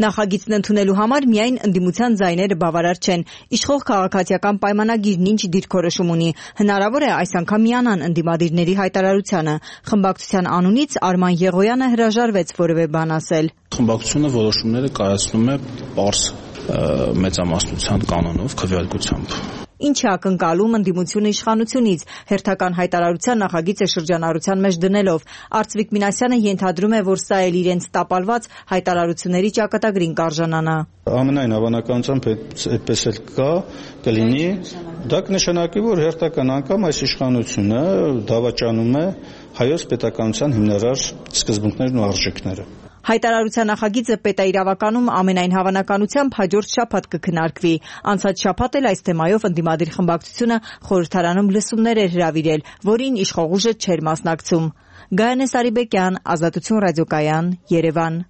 Նախագիծն ընդունելու համար միայն ընդդիմության ձայները բավարար չեն։ Իշխող քաղաքացիական պայմանագիրն ինչ դիրքորոշում ունի։ Հնարավոր է այս անգամ միանան ընդդիմադիրների հայտարարությանը։ Խմբակցության անունից Արման Եղոյանը հրաժարվեց որևէ բան ասել։ Խմբակցությունը որոշումները կայացնում է պարզ մեծամասնության կանոնով, քվեարկությամբ։ Ինչ է ակնկալում ընդդիմությունը իշխանությունից, հերթական հայտարարության նախագիծը շրջանառության մեջ դնելով։ Արծվիկ Մինասյանը ենթադրում է, որ սա էլ իրենց տապալված հայտարարությունների ճակատագրին կարժանանա։ Ամենայն հավանականությամբ այդպես էլ կլինի, դա կնշանակի, որ հերթական անգամ այս իշխանությունը դավաճանում է հայոց պետականության հիմնարար սկզբունքներն ու արժեքները։ Հայտարարության նախագիծը պետաիրավականում ամենայն հավանականությամբ հաջորդ շաբաթ կքննարկվի։ Անցած շաբաթ էլ այս թեմայով ընդդիմադիր խմբակցությունը խորհրդարանում լսումներ էր հրավիրել, որին իշխող ուժը չէր մասնակցում։ Գայանե Սարիբեկյան, Ազատություն ռադիոկայան, Երևան։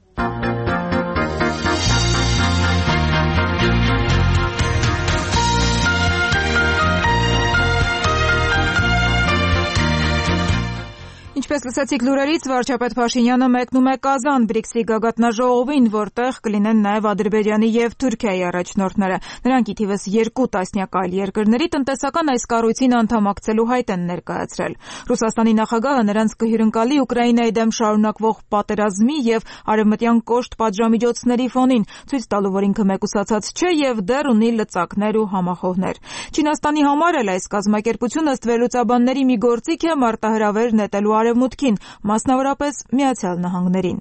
Ինչպես լսեցիք լուրերից, վարչապետ Փաշինյանը մեկնում է Կազան BRICS-ի գագաթնաժողովին, որտեղ կլինեն նաև Ադրբեջանի եւ Թուրքիայի առաջնորդները։ Նրանք ի թիվս 2 տասնյակ այլ երկրների տնտեսական այս կառույցին անդամակցելու հայտ են ներկայացրել։ Ռուսաստանի նախագահը նրանց կհյուրընկալի Ուկրաինայի դեմ շարունակվող պատերազմի եւ արևմտյան կոշտ պատժամիջոցների ֆոնին, ցույց տալու, որ ինքը մեկուսացած չէ եւ դեռ ունի լծակներ ու համախոհներ։ Չինաստանի համար էլ այս կազմակերպությունը ըստ վերլուծաբանների մի գործիք է մարտահրավեր նետելու Արևմուտքին, մասնավորապես Միացյալ Նահանգներին։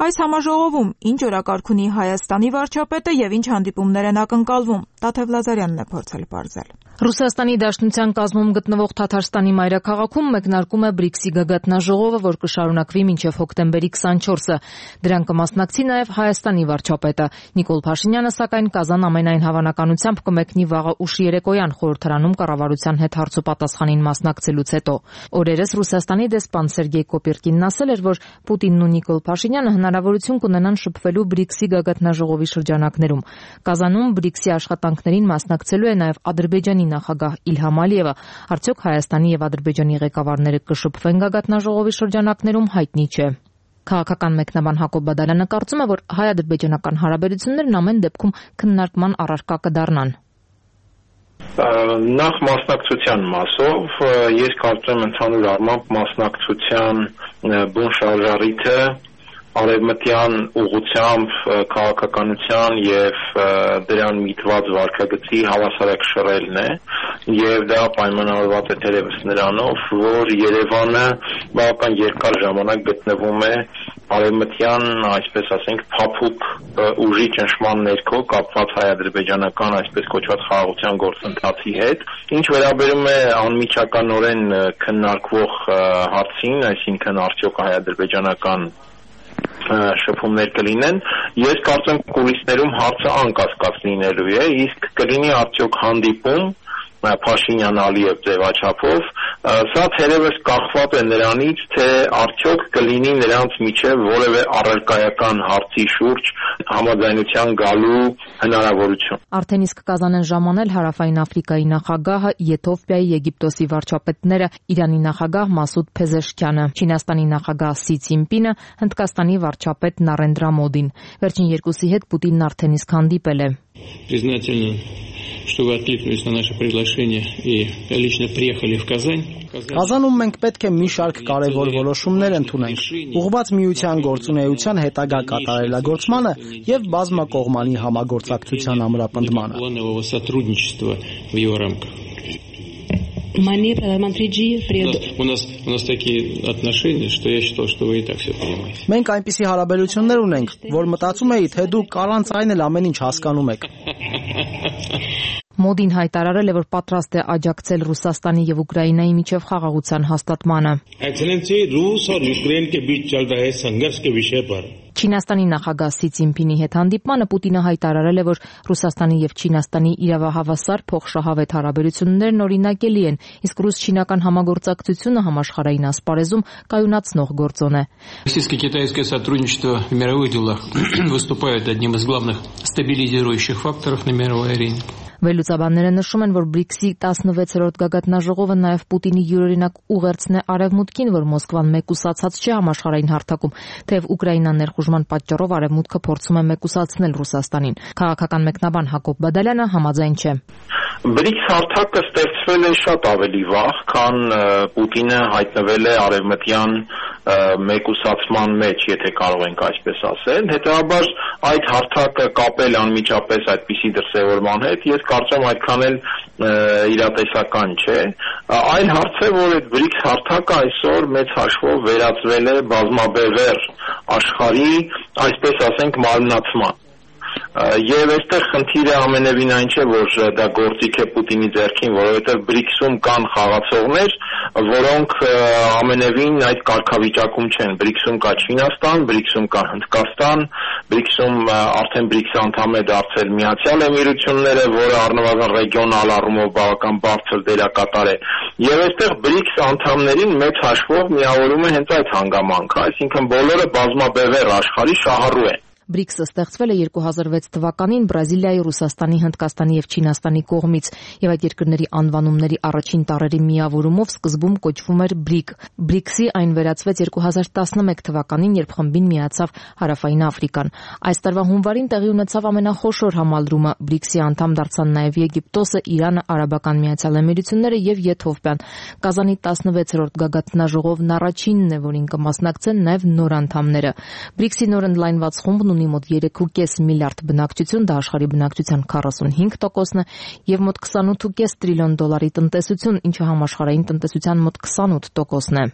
Այս համաժողովում ինչ օրակարգ ունի Հայաստանի վարչապետը եւ ինչ հանդիպումներ են ակնկալվում, Տաթև Լազարյանն է փորձել պարզել։ Ռուսաստանի Դաշնության կազմում գտնվող Թաթարստանի մայրաքաղաքում մեկնարկում է BRICS-ի գագաթնաժողովը, որ կշարունակվի մինչև հոկտեմբերի 24-ը։ Դրան կմասնակցի նաև Հայաստանի վարչապետը։ Նիկոլ Փաշինյանը, սակայն, Կազան ամենայն հավանականությամբ կմեկնի վաղը ուշ երեկոյան խորհրդարանում կառավարության հետ հարցոպատասխանին մասնակցելուց հետո։ Օրերս Ռուսաստանի դեսպան Սերգեյ Կոպիրկինն ասել էր, որ Պուտինն ու Նիկոլ Փաշինյանը հնարավորություն կունենան շփվելու BRICS-ի գագաթնաժողովի շրջանակներում։ Կազանում BRICS-ի աշխատանքներին մասնակցելու է նաև Ադրբեջանի նախագահ Իլհամ Ալիևը։ Արդյոք Հայաստանի եւ Ադրբեջանի ղեկավարները կշփվեն գագաթնաժողովի շրջանակներում, հայտնի չէ։ Քաղաքական մեկնաբան Հակոբ Բադալյանը կարծում է, որ հայ-ադրբեջանական հարաբերություններն ամեն դեպքում քննարկման առարկա կդառնան։ Նախ մասնակցության մասով ես կարծում եմ ընդհանուր առմամբ մասնակցության բուն շարժառիթը արևմտյան ուղղությամբ քաղաքականության եւ դրան միտված վարքագծի հավասարակշռելն է եւ դա պայմանավորված է թերևս նրանով, որ Երևանը բավական երկար ժամանակ գտնվում է արևմտյան, այսպես ասենք, փափուկ ուժի ճնշման ներքո կապված հայ-ադրբեջանական այսպես կոչված խաղաղության գործընթացի հետ, ինչ վերաբերում է անմիջականորեն քննարկվող հարցին, այսինքն արդյոք հայ-ադրբեջանական շփումներ կլինեն, ես կարծեմ կուլիսներում հարցը անկասկած լինելու է, իսկ կլինի արդյոք հանդիպում Փաշինյան-Ալիև ձևաչափով, սա թերևս կախված է նրանից, թե արդյոք կլինի նրանց միջև որևէ առարկայական հարցի շուրջ համաձայնության գալու հնարավորություն։ Արդեն իսկ Կազան են ժամանել Հարավային Աֆրիկայի նախագահը, Եթովպիայի, Եգիպտոսի վարչապետները, Իրանի նախագահ Մասուդ Փեզեշքյանը, Չինաստանի նախագահ Սի Ցինպինը, Հնդկաստանի վարչապետ Նարենդրա Մոդին։ Վերջին երկուսի հետ Պուտինն արդեն իսկ հանդիպել է։ Что вы откликнулись на наше приглашение и лично приехали в Казань. Կազանում մենք պետք է մի շարք կարևոր որոշումներ ընդունենք, ուղղված միության գործունեության հետագա կատարելագործմանը եւ բազմակողմանի համագործակցության ամրապնդմանը։ У нас такие отношения, что я считал, что вы и так все понимаете. Մենք այնպիսի հարաբերություններ ունենք, որ մտածում էի, թե դուք առանց այն էլ ամեն ինչ հասկանում եք։ Մոդին հայտարարել է, որ պատրաստ է աջակցել Ռուսաստանի եւ Ուկրաինայի միջև խաղաղության հաստատմանը։ Չինաստանի նախագահ Սի Ցինպինի հետ հանդիպմանը Պուտինը հայտարարել է, որ Ռուսաստանի եւ Չինաստանի իրավահավասար փոխշահավետ հարաբերություններն օրինակելի են, իսկ ռուս-չինական համագործակցությունը համաշխարհային ասպարեզում կայունացնող գործոն է։ Российско-китайское сотрудничество в мировых делах выступает одним из главных стабилизирующих факторов на мировой арене. Վերլուծաբանները նշում են, որ BRICS-ի 16-րդ գագաթնաժողովը նաև Պուտինի յուրօրինակ ուղերձն է Արևմուտքին, որ Մոսկվան մեկուսացած չէ համաշխարհային հարթակում, թեև Ուկրաինան ներխուժման պատճառով Արևմուտքը փորձում է մեկուսացնել Ռուսաստանին։ Քաղաքական մեկնաբան Հակոբ Բադալյանը համաձայն չէ։ BRICS հարթակը ստեղծվել է շատ ավելի վաղ, քան Պուտինը հայտնվել է արևմտյան մեկուսացման մեջ, եթե կարող ենք այսպես ասել։ Հետևաբար այդ հարթակը կապել անմիջապես այդպիսի դրսևորման հետ, ես կարծում այդքան էլ իրատեսական չէ։ Այլ հարց է, որ այդ BRICS հարթակը այսօր մեծ հաշվով վերածվել է բազմաբևեռ աշխարհի, այսպես ասենք, մարմնացման։ Եվ այստեղ խնդիրը ամենևին այն չէ, որ դա գործիք է Պուտինի ձեռքին, որովհետև BRICS-ում կան խաղացողներ, որոնք ամենևին այդ կարգավիճակում չեն։ BRICS-ում կա Չինաստան, BRICS-ում կա Հնդկաստան, BRICS-ում արդեն BRICS-ը անդամ է դարձել Միացյալ Էմիրությունները, որը առնվազն ռեգիոնալ առումով բավական բարձր դերակատար է։ Եվ այստեղ BRICS անդամներին մեծ հաշվով միավորում է հենց այդ հանգամանքը, այսինքն բոլորը բազմաբևեռ աշխարհի շահառու են։ BRICS-ը ստեղծվել է 2006 թվականին Բրազիլիայի, Ռուսաստանի, Հնդկաստանի եւ Չինաստանի կողմից, եւ այդ երկրների անվանումների առաջին տառերի միավորումով սկզբում կոչվում էր BRIC։ BRICS-ի այն վերածվեց 2011 թվականին, երբ խմբին միացավ Հարավային Աֆրիկան։ Այս տարվա հունվարին տեղի ունեցավ ամենախոշոր համալրումը։ BRICS-ի անդամ դարձան նաեւ Եգիպտոսը, Իրանը, Արաբական Միացյալ Էմիրությունները եւ Եթովպիան։ Կազանի 16-րդ գագաթնաժողովն առաջինն է, որին կմասնակցեն նաեւ նոր անդամները։ BRICS-ի նոր ընդլայնված խումբն ունի մոտ 3.5 միլիարդ բնակչություն, դա աշխարհի բնակչության 45%-ն է եւ մոտ 28.5 տրիլիոն դոլարի տնտեսություն, ինչը համաշխարհային տնտեսության մոտ 28%-ն է։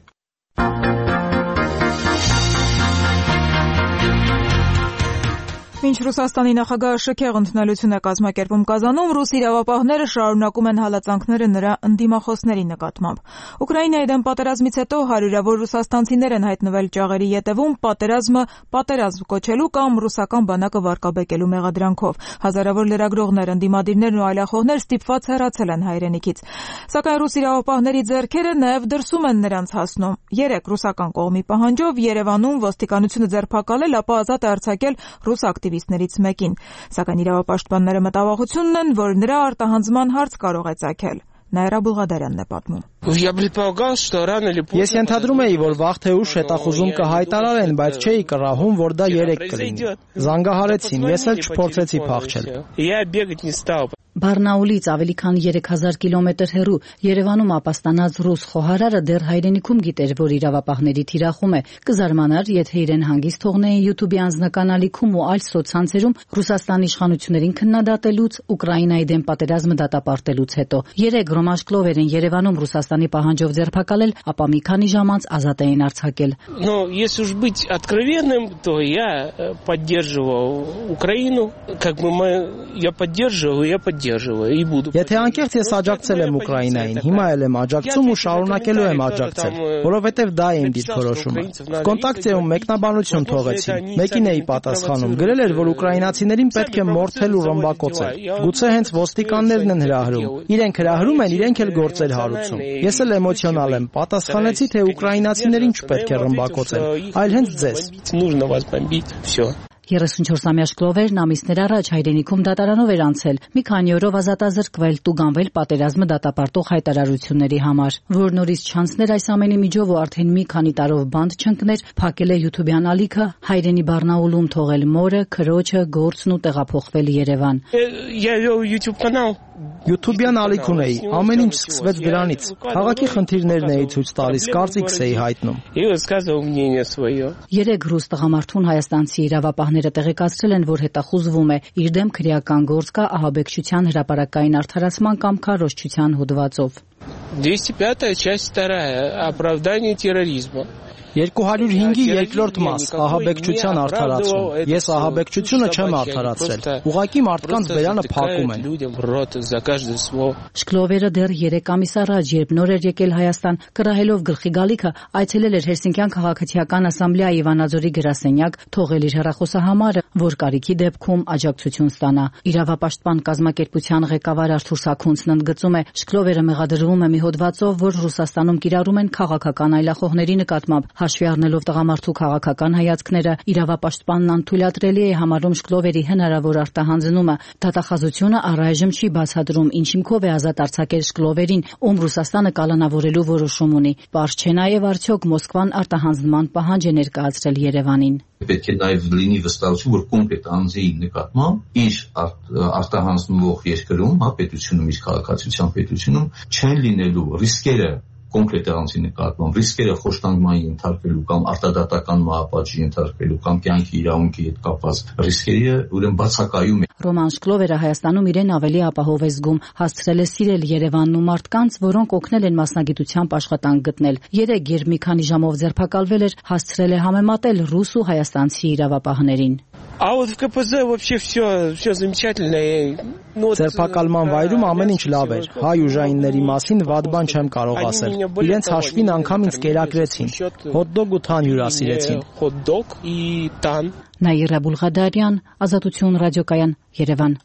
Մինչ Ռուսաստանի նախագահը շքեղ ընդունելություն է կազմակերպում Կազանում, ռուս իրավապահները շարունակում են հալածանքները նրա ընդդիմախոսների նկատմամբ։ Ուկրաինայի դեմ պատերազմից հետո հարյուրավոր ռուսաստանցիներ են հայտնվել ճաղերի ետևում պատերազմը պատերազմ կոչելու կամ ռուսական բանակը վարկաբեկելու մեղադրանքով։ Հազարավոր լրագրողներ, ընդդիմադիրներ ու այլախոհներ ստիպված հեռացել են հայրենիքից։ Սակայն ռուս իրավապահների ձեռքերը նաև դրսում են նրանց հասնում։ Երեք ռուսական կողմի պահանջով Երևանում ոստիկանությունը ձերբակալել, ապա ազատ է արձակել ռուս ակտիվիստներից մեկին, սակայն իրավապաշտպանները մտավախությունն են, որ նրա արտահանձման հարց կարող է ծագել։ Նաիրա Բուլղադարյանն է պատմում։ Ես ենթադրում էի, որ վաղ թե ուշ հետախուզում կհայտարարեն, բայց չէի կռահում, որ դա 3 կլինի։ Զանգահարեցին, ես էլ չփորձեցի փախչել։ Բարնաուլից ավելի քան 3000 կիլոմետր հեռու Երևանում ապաստանած ռուս խոհարարը դեռ հայրենիքում գիտեր, որ իրավապահների թիրախում է։ Կզարմանար, եթե իրեն հանգիստ թողնեին YouTube-ի անձնական ալիքում ու այլ սոցցանցերում Ռուսաստանի իշխանություններին քննադատելուց, Ուկրաինայի դեմ պատերազմը դատապարտելուց հետո։ 3 ռոմաշկլովեր են Երևանում Ռուսաստանի պահանջով ձերբակալել, ապա մի քանի ժամ անց ազատ էին արձակել։ Если уж быть откровенным, то я поддерживал Украину, я поддерживал, я поддерживаю. Եթե անկեղծ ես աջակցել եմ Ուկրաինային, հիմա էլ եմ աջակցում ու շարունակելու եմ աջակցել, որովհետև դա է իմ դիրքորոշումը։ Կոնտակտիում մեկնաբանություն թողեցին։ Մեկին էի պատասխանում, գրել էր, որ ուկրաինացիներին պետք է մորթել ու ռմբակոծել։ Գուցե հենց ոստիկաններն են հրահրում։ Իրենք հրահրում են, իրենք էլ գործեր հարուցում։ Ես էլ էմոցիոնալ եմ, պատասխանեցի, թե ուկրաինացիներին չպետք է ռմբակոծել, այլ հենց ձեզ։ 34-ամյա Շկլովերն ամիսներ առաջ հայրենիքում դատարանով էր անցել, մի քանի օրով ազատազրկվել, տուգանվել պատերազմը դատապարտող հայտարարությունների համար, որ նորից չանցներ այս ամենի միջով ու արդեն մի քանի տարով բանտ չընկներ, փակել է YouTube-յան ալիքը, հայրենի Բարնաուլում թողել մորը, քրոջը, գործն ու տեղափոխվել Երևան։ YouTube-յան ալիք ունեի, ամեն ինչ սկսվեց դրանից։ Քաղաքի խնդիրներն էի ցույց տալիս, կարծիքս էի հայտնում։ 3 ռուս տղամարդուն հայաստանցի իրավապահները տեղեկացրել են, որ հետախուզվում է, իր դեմ քրեական գործ կա ահաբեկչության հրապարակային արդարացման կամ քարոզչության հոդվածով։ 205-я часть 2 оправдание терроризма 205-ի երկրորդ մաս ահաբեկչության արդարացում։ Ես ահաբեկչությունը չեմ արդարացրել։ Ուղղակի մարդկանց բերանը փակում են։ Շկլովերը դեռ 3 ամիս առաջ, երբ նոր էր եկել Հայաստան, կռահելով գլխի գալիքը, այցելել էր Հելսինկյան քաղաքացիական ասամբլեայի Վանաձորի գրասենյակ, թողել իր հեռախոսահամարը, որ կարիքի դեպքում աջակցություն ստանա։ Իրավապաշտպան կազմակերպության ղեկավար Արթուր Սաքունցն ընդգծում է, Շկլովերը մեղադրվում է մի հոդվածով, որ Ռուսաստանում կիրառում են քաղաքական այլախոհների նկատմամբ, Հաշվի առնելով տղամարդու քաղաքական հայացքները, իրավապաշտպանն անթույլատրելի է համարում Շկլովերի հնարավոր արտահանձնումը։ Դատախազությունը առայժմ չի բացատրում ինչ հիմքով է ազատ արձակել Շկլովերին, ում Ռուսաստանը կալանավորելու որոշում ունի։ Պարզ չէ նաև արդյոք Մոսկվան արտահանձնման պահանջ է ներկայացրել Երևանին։ Պետք է նաև լինի վստահություն, որ կոնկրետ անձի նկատմամբ իր արտահանձնվող երկրում, պետությունում, իր քաղաքացիության պետությունում չեն լինելու ռիսկերը կոնկրետ անձի նկատմամբ, ռիսկերը խոշտանգման ենթարկելու կամ արտադատական մահապատժի ենթարկելու կամ կյանքի իրավունքի հետ կապված ռիսկերը ուրեմն բացակայում է։ Ռոման Շկլովերը Հայաստանում իրեն ավելի ապահով է զգում, հասցրել է սիրել Երևանն ու մարդկանց, որոնք օգնել են մասնագիտությամբ աշխատանք գտնել։ Երեկ, երբ մի քանի ժամով ձերբակալվել էր, հասցրել է համեմատել ռուս ու հայաստանցի իրավապահներին։ А вот в КПЗ вообще все замечательно. Ձերբակալման վայրում ամեն ինչ լավ էր։ Հայ ուժայինների մասին վատ բան չեմ կարող ասել։ Իրենց հաշվին անգամ ինձ կերակրեցին։ Հոթդոգ ու թան հյուրասիրեցին։ Հոթդոգ и тан։ Նաիրա Բուլղադարյան, Ազատություն ռադիոկայան, Երևան։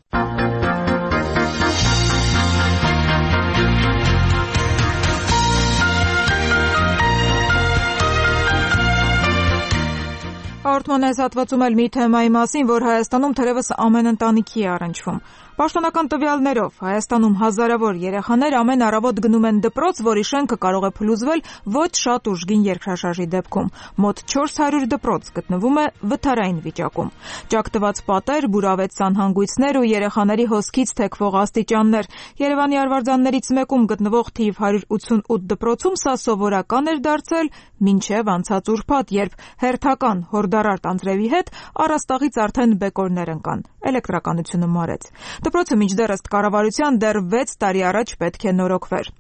Հաղորդման այս հատվածում էլ մի թեմայի մասին, որ Հայաստանում թերևս ամեն ընտանիքի է առնչվում։ Պաշտոնական տվյալներով Հայաստանում հազարավոր երեխաներ ամեն առավոտ գնում են դպրոց, որի շենքը կարող է փլուզվել ոչ շատ ուժգին երկրաշարժի դեպքում։ Մոտ 400 դպրոց գտնվում է վթարային վիճակում։ Ճակտված պատեր, բուրավետ սանհանգույցներ ու երեխաների հոսքից թեքվող աստիճաններ։ Երևանի արվարձաններից մեկում գտնվող թիվ 188 դպրոցում սա սովորական էր դարձել մինչև անցած ուրբաթ, երբ հերթական հորդարարտ անձրևի հետ առաստաղից արդեն բեկորներ ընկան։ Էլեկտրականությունը մարեց։ Դպրոցը մինչդեռ ըստ կառավարության դեռ 6 տարի առաջ պետք է նորոգվեր։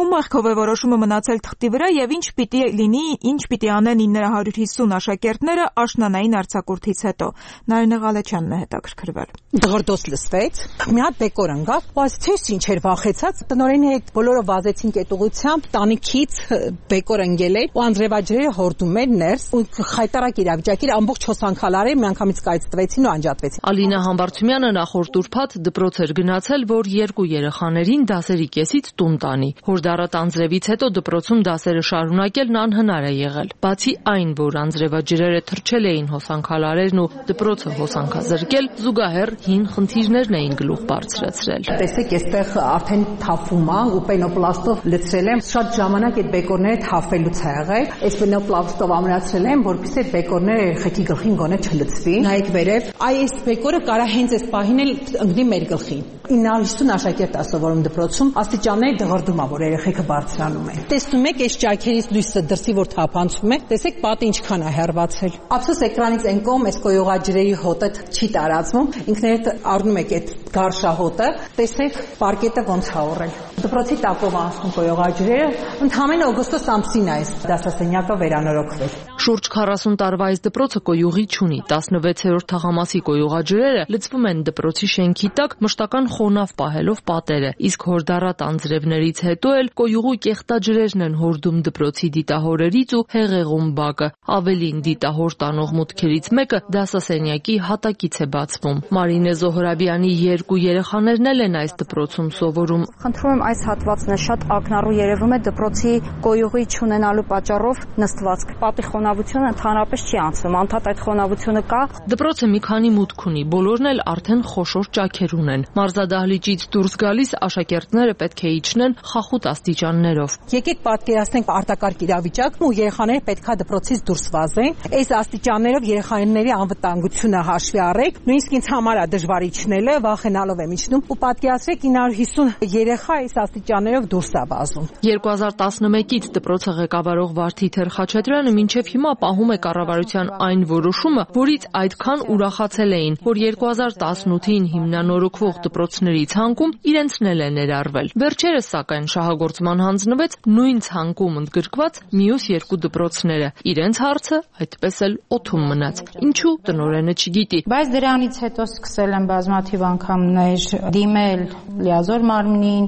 Ում մեղքով է որոշումը մնացել թղթի վրա եւ ինչ պիտի լինի, ինչ պիտի անեն 950 աշակերտները աշնանային արձակուրդից հետո։ Նարինե Ղալեչյանն է հետաքրքրվել։ Դղրդոց լսվեց, մի հատ բեկոր ընկավ, ու ասեցի ինչ էր վախեցած, տնօրենի հետ բոլորը վազեցին կետուղությամբ, տանիքից բեկոր ընկել էր ու անձրևաջրերը հորդում էր ներս ու խայտարակ իրավիճակի ամբողջ հոսանքալարը միանգամից կայծտվեցին ու անջատվեցին։ Ալինա Համբարձումյանը նախորդ ուրբաթ դպրոց էր գնացել, որ 2 երեխաներին դասերի կեսից տուն տանի։ Հորդառատ անձրևից հետո դպրոցում դասերը շարունակելն անհնար է եղել։ Բացի այն, որ անձրևաջրերը թռչել էին հոսանքալարերն ու դպրոցը հոսանքազրկել, զուգահեռ հին խնդիրներն էին գլուխ բարձրացրել։ Տեսեք, այստեղ արդեն թափում է ու պենոպլաստով լցրել եմ։ Շատ ժամանակ այդ բեկորները թափվելուց է եղել։ Այս պենոպլաստով ամրացրել եմ, որպեսզի այդ բեկորները երեխեքի գլխին գոնե չլցվի։ Նայեք վերև, այս բեկորը կարա հենց այս պահին էլ ընկնի մեր գլխին։ 950 աշակերտ է սովորում դպրոցում, աստիճանների դղրդում է, որ երեխեքը բարձրանում են։ Տեսնում եք, այս ճաքերից լույսը դրսի որ թափանցում է, տեսեք պատը ինչքան է հեռացել։ Ափսոս էկրանից այն կողմ այս կոյողաջրերի հոտը չի տարածվում, ինքներդ առնում եք այդ գարշահոտը, տեսեք պարկետը ոնց է ողրել։ Դպրոցի տակով անցնում կոյողաջրերը, ընդհանրապես օգոստոս ամսին է այս դասասենյակը վերանորոգվել։ Շուրջ 40 տարվա այս դպրոցը կոյուղի չունի։ 16-րդ թաղամասի կոյուղաջրերը լցվում են դպրոցի շենքի տակ մշտական խոնավ պահելով պատերը, իսկ հորդառատ անձրևներից հետո էլ կոյուղու կեղտաջրերն են հորդում դպրոցի դիտահորերից ու հեղեղում բակը։ Ավելին, դիտահոր տանող մուտքերից մեկը դասասենյակի հատակից է բացվում։ Մարինե Զոհրաբյանի 2 երեխաներն էլ են այս դպրոցում սովորում։ Խնդրում եմ, այս հատվածն է շատ ակնառու երևում է դպրոցի կոյուղի չունենալու պատճառով նստվածք։ Պատի խոնավությունը ընդհանրապես չի անցնում, անդադ այդ խոնավությունը կա։ Դպրոցը մի քանի մուտք ունի, բոլորն էլ արդեն խոշոր ճաքեր ունեն։ Մարզադահլիճից դուրս գալիս աշակերտները պետք է իջնեն խախուտ աստիճաններով։ Եկեք պատկերացնենք արտակարգ իրավիճակն ու երեխաները պետքա դպրոցից դուրս վազեն։ Այս աստիճաններով երեխաների անվտանգությունը հաշվի առեք։ Նույնիսկ ինձ համար է դժվար իջնելը, վախենալով եմ իջնում ու պատկերացրեք 950 երեխա այս աստիճաններով դուրս է վազում։ 2011-ից դպրոցը ղեկավարող Վարդի Թերխաչատրյանը մինչև հիմա պահում է կառավարության այն որոշումը, որից այդքան ուրախացել էին, որ 2018-ին հիմնանորոգվող դպրոցների ցանկում իրենցն էլ է ներառվել։ Վերջերս սակայն շահագործման հանձնվեց նույն ցանկում ընդգրկված մյուս 2 դպրոցները։ Իրենց հարցը այդպես էլ օդում մնաց։ Ինչու տնօրենը չգիտի։ Բայց դրանից հետո սկսել եմ բազմաթիվ անգամներ դիմել լիազոր մարմնին,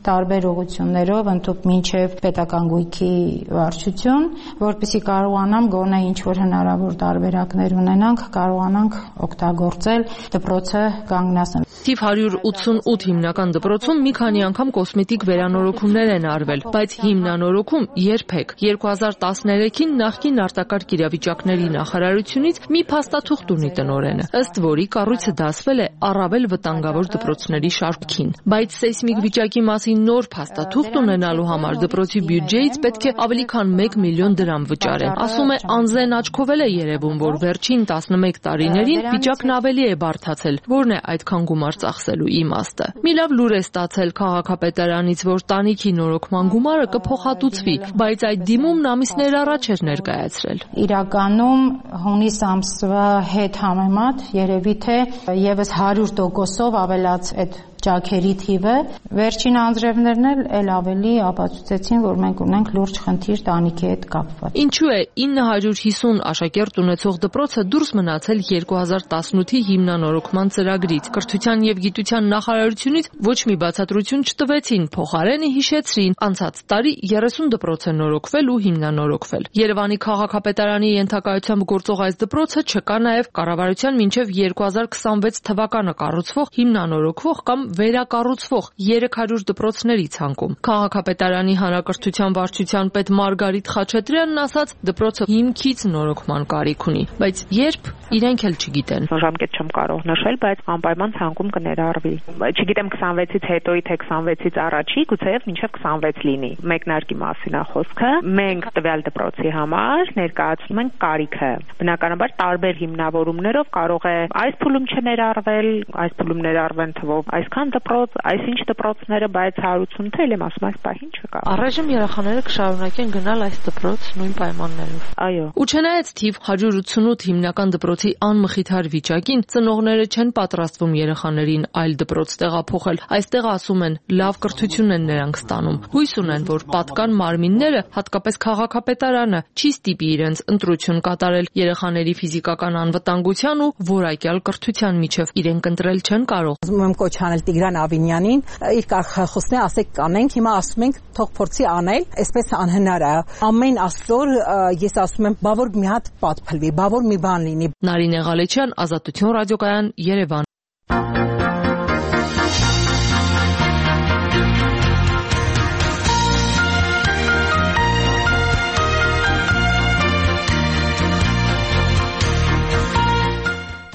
տարբեր ուղղություններով ընդհանուր մինչև պետական գույքի վարչություն, որպեսզի կարողանամ գոնե ինչ որ հնարավոր տարբերակներ ունենանք, կարողանանք օգտագործել դպրոցը կանգնացնել։ Թիվ 188 հիմնական դպրոցում մի քանի անգամ կոսմետիկ վերանորոգումներ են արվել, բայց հիմնանորոգում երբեք։ 2013-ին նախկին արտակարգ իրավիճակների նախարարությունից մի փաստաթուղթ ունի տնօրենը, ըստ որի կառույցը դասվել է առավել վտանգավոր դպրոցների շարքին։ Բայց սեյսմիկ վիճակի մասին նոր փաստաթուղթ ունենալու համար դպրոցի բյուջեից պետք է ավելի քան 1 միլիոն դրամ վճարեն։ Ասում է անզեն աչքով է երևում, որ վերջին 11 տարիներին վիճակն ավելի է բարդացել, որն է այդքան գումար ծախսելու իմաստը։ Մի լավ լուր է ստացել քաղաքապետարանից, որ տանիքի նորոգման գումարը կփոխհատուցվի, բայց այդ դիմումն ամիսներ առաջ էր ներկայացրել։ Իրականում հունիս ամսվա հետ համեմատ երևի թե եւս 100%-ով ավելաց այդ ջաքերի թիվը, վերջին անձրևներն էլ ավելի ապացուցեցին, որ մենք ունենք լուրջ խնդիր տանիքի հետ կապված։ Ինչու է 950 աշակերտ ունեցող դպրոցը դուրս մնացել 2018-ի հիմնանորոգման ծրագրից։ Կրթության եւ գիտության նախարարությունից ոչ մի բացատրություն չտվեցին, փոխարենը հիշեցրին, անցած տարի 30 դպրոց է նորոգվել ու հիմնանորոգվել։ Երևանի քաղաքապետարանի ենթակայությամբ գործող այս դպրոցը չկա նաեւ կառավարության մինչեւ 2026 թվականը կառուցվող հիմնանորոգվող կամ վերակառուցվող 300 դպրոցների ցանկում։ Քաղաքապետարանի հանրակրթության վարչության պետ Մարգարիտ Խաչատրյանն ասաց, դպրոցը հիմքից նորոգման կարիք ունի, բայց երբ իրենք էլ չգիտեն։ Ժամկետ չեմ կարող նշել, բայց անպայման ցանկում կներառվի։ Չգիտեմ 26-ից հետոյի թե 26-ից առաջի, գուցեև մինչև 26 լինի։ Մեկնարկի մասին է խոսքը։ Մենք տվյալ դպրոցի համար ներկայացնում ենք կարիքը։ Բնականաբար տարբեր հիմնավորումներով կարող է այս փուլում չներառվել, այս փուլում ներառվեն թվով այսքան դպրոց, այսինչ դպրոցները, բայց հարություն թե եմ ասում այս պահին չկա։ Առայժմ երեխաները կշարունակեն գնալ այս դպրոց նույն պայմաններով։ Այո։ Ու չնայած թիվ 188 հիմնական դպրոցի անմխիթար վիճակին, ծնողները չեն պատրաստվում երեխաներին այլ դպրոց տեղափոխել։ Այստեղ ասում են, լավ կրթություն են նրանք ստանում։ Հույս ունեն, որ պատկան մարմինները, հատկապես քաղաքապետարանը, չի ստիպի իրենց ընտրություն կատարել երեխաների ֆիզիկական անվտանգության ու որակյալ կրթության միջև։ Իրենք ընտրել չեն կարող։ Ուզում եմ կոչ անել Տիգրան Ավինյանին, իր կարգախոսն է, ասեք կանենք, հիմա ասում ենք թող փորձի անել, այսպես անհնար է։ Ամեն ասոր ես ասում եմ, բա որ մի հատ պատփլվի, բա որ մի բան լինի։ Նարինե Ղալեչյան, Ազատություն ռադիոկայան, Երևան։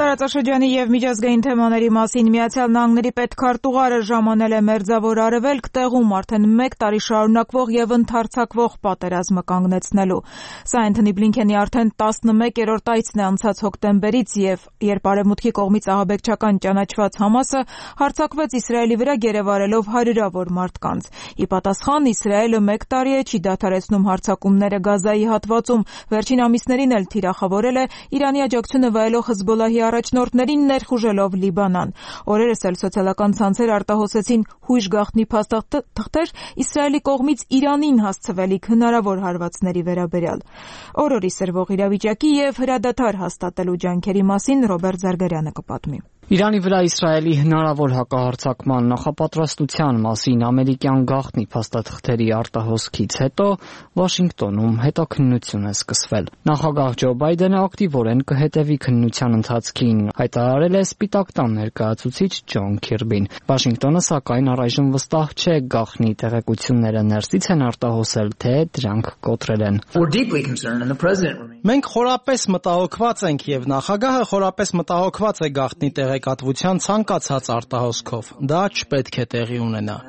Տարածաշրջանի եւ միջազգային թեմաների մասին Միացյալ Նահանգների պետքարտուղարը ժամանել է Մերձավոր Արևելք, տեղում արդեն 1 տարի շարունակվող եւ ընդհարձակվող պատերազմը կանգնեցնելու։ Սա Անթոնի Բլինքենի արդեն 11-րդ այցն է անցած հոկտեմբերից եւ երբ Արևմուտքի կողմից ահաբեկչական ճանաչված Համասը հարձակվեց Իսրայելի վրա գերեվարելով հարյուրավոր մարդկանց։ Ի պատասխան Իսրայելը 1 տարի է չի դադարեցնում հարձակումները Գազայի հատվածում, վերջին ամիսներին էլ թիրախավորել է Իրանի աջակցությունը վայելող Հեզբոլլահի առաջնորդներին ներխուժելով Լիբանան։ Օրերս էլ սոցիալական ցանցեր արտահոսեցին հույժ գաղտնի փաստաթղթեր Իսրայելի կողմից Իրանին հասցվելիք հնարավոր հարվածների վերաբերյալ։ Օրորի սրվող իրավիճակի եւ հրադադար հաստատելու ջանքերի մասին Ռոբերտ Զարգարյանը կպատմի։ Իրանի վրա Իսրայելի հնարավոր հակահարձակման նախապատրաստության մասին ամերիկյան գաղտնի փաստաթղթերի արտահոսքից հետո Վաշինգտոնում հետաքննություն է սկսվել։ Նախագահ Ջո Բայդենը ակտիվորեն կհետևի քննության ընթացքին, հայտարարել է Սպիտակ տան ներկայացուցիչ Ջոն Քիրբին։ Վաշինգտոնը սակայն առայժմ վստահ չէ գաղտնի տեղեկությունները ներսից են արտահոսել, թե դրանք կոտրել են։ Մենք խորապես մտահոգված ենք եւ նախագահը խորապես մտահոգված է գաղտնի տեղեկատվության ցանկացած արտահոսքով։ Դա չպետք է տեղի ունենա։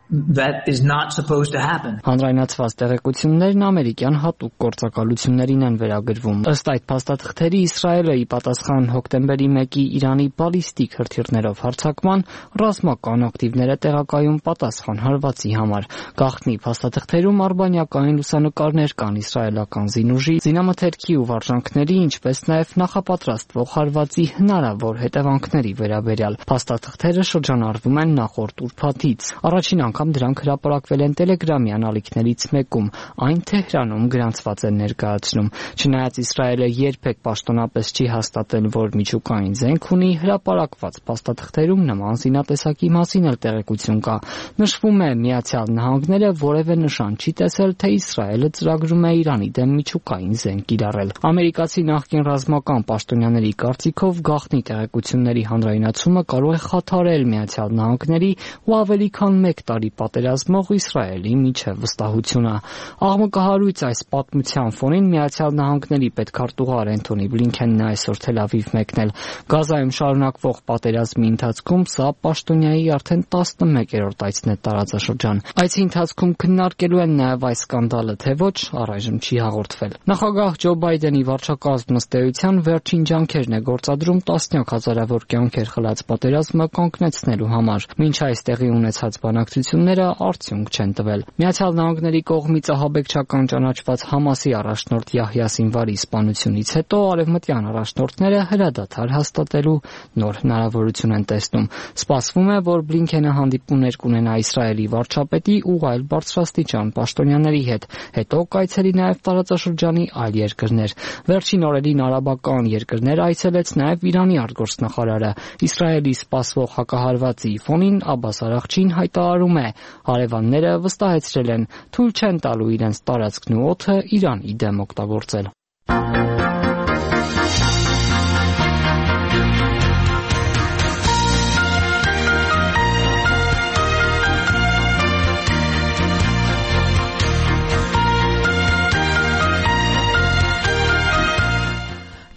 That is not supposed to happen. Հանրայնացված տեղեկություններն ամերիկյան հատուկ գործակալություններին են վերագրվում։ Ըստ այդ փաստաթղթերի Իսրայելը ի պատասխան հոկտեմբերի 1-ի Իրանի բալիստիկ հրթիռներով հարձակման ռազմական ակտիվներ է տեղակայում պատասխան հարվածի համար։ Գաղտնի փաստաթղթերում արբանյակային լուսանկարներ կան իսրայելական զինուժի, զինամթերքի ու վարժանքների, ինչպես նաև նախապատրաստվող հարվածի հնարավոր հետևանքների վերաբերյալ։ Փաստաթղթերը շրջանառվում են նախորդ ուրբաթից։ Առաջին անգամ դրանք հրապարակվել են Telegram-ի անալիքներից մեկում, այն Թեհրանում գրանցված են ներկայացնում։ Չնայած Իսրայելը երբեք պաշտոնապես չի հաստատել, որ միջուկային զենք ունի, հրապարակված փաստաթղթերում նման զինատեսակի մասին էլ տեղեկություն կա։ Նշվում է, Միացյալ Նահանգները որևէ նշան չի տեսել, թե Իսրայելը ծրագրում է Իրանի դեմ միջուկային զենք կիրառել։ Ամերիկացի նախկին ռազմական պաշտոնյաների կարծիքով գաղտնի տեղեկությունների հանրայնացումը կարող է խաթարել Միացյալ Նահանգների ու ավելի քան 1 տարի պատերազմող Իսրայելի միջև վստահությունը։ Աղմկահարույց այս պատմության ֆոնին Միացյալ Նահանգների պետքարտուղար Էնթոնի Բլինքենն է այսօր Թել Ավիվ մեկնել։ Գազայում շարունակվող պատերազմի ընթացքում սա պաշտոնյայի արդեն 11-րդ այցն է տարածաշրջան։ Այցի ընթացքում քննարկելու են նաև այս սկանդալը, թե ոչ, առայժմ չի հաղորդվել։ Նախագահ Ջո Բայդենի վարչակազմ ըստ էության վերջին ջանքերն է գործադրում տասնյակ հազարավոր կյանքեր խլած պատերազմը կանգնեցնելու համար։ Մինչ այս տեղի ունեցած բանակցությունները արդյունք չեն տվել։ Միացյալ Նահանգների կողմից ահաբեկչական ճանաչված Համասի առաջնորդ Յահյա Սինվարի սպանությունից հետո արևմտյան առաջնորդները հրադադար հաստատելու նոր հնարավորություն են տեսնում։ Սպասվում է, որ Բլինքենը հանդիպումներ կունենա Իսրայելի վարչապետի ու այլ բարձրաստիճան պաշտոնյաների հետ, հետո կայցելի նաև տարածաշրջանի այլ երկրներ։ Վերջին օրերին արաբական երկրներ այցելեց նաև Իրանի արտգործնախարարը։ Իսրայելի սպասվող հակահարվածի ֆոնին Աբբաս Արաղչին հայտարարում է, հարևանները վստահեցրել են, թույլ չեն տալու իրենց տարածքն ու օդը Իրանի դեմ օգտագործել։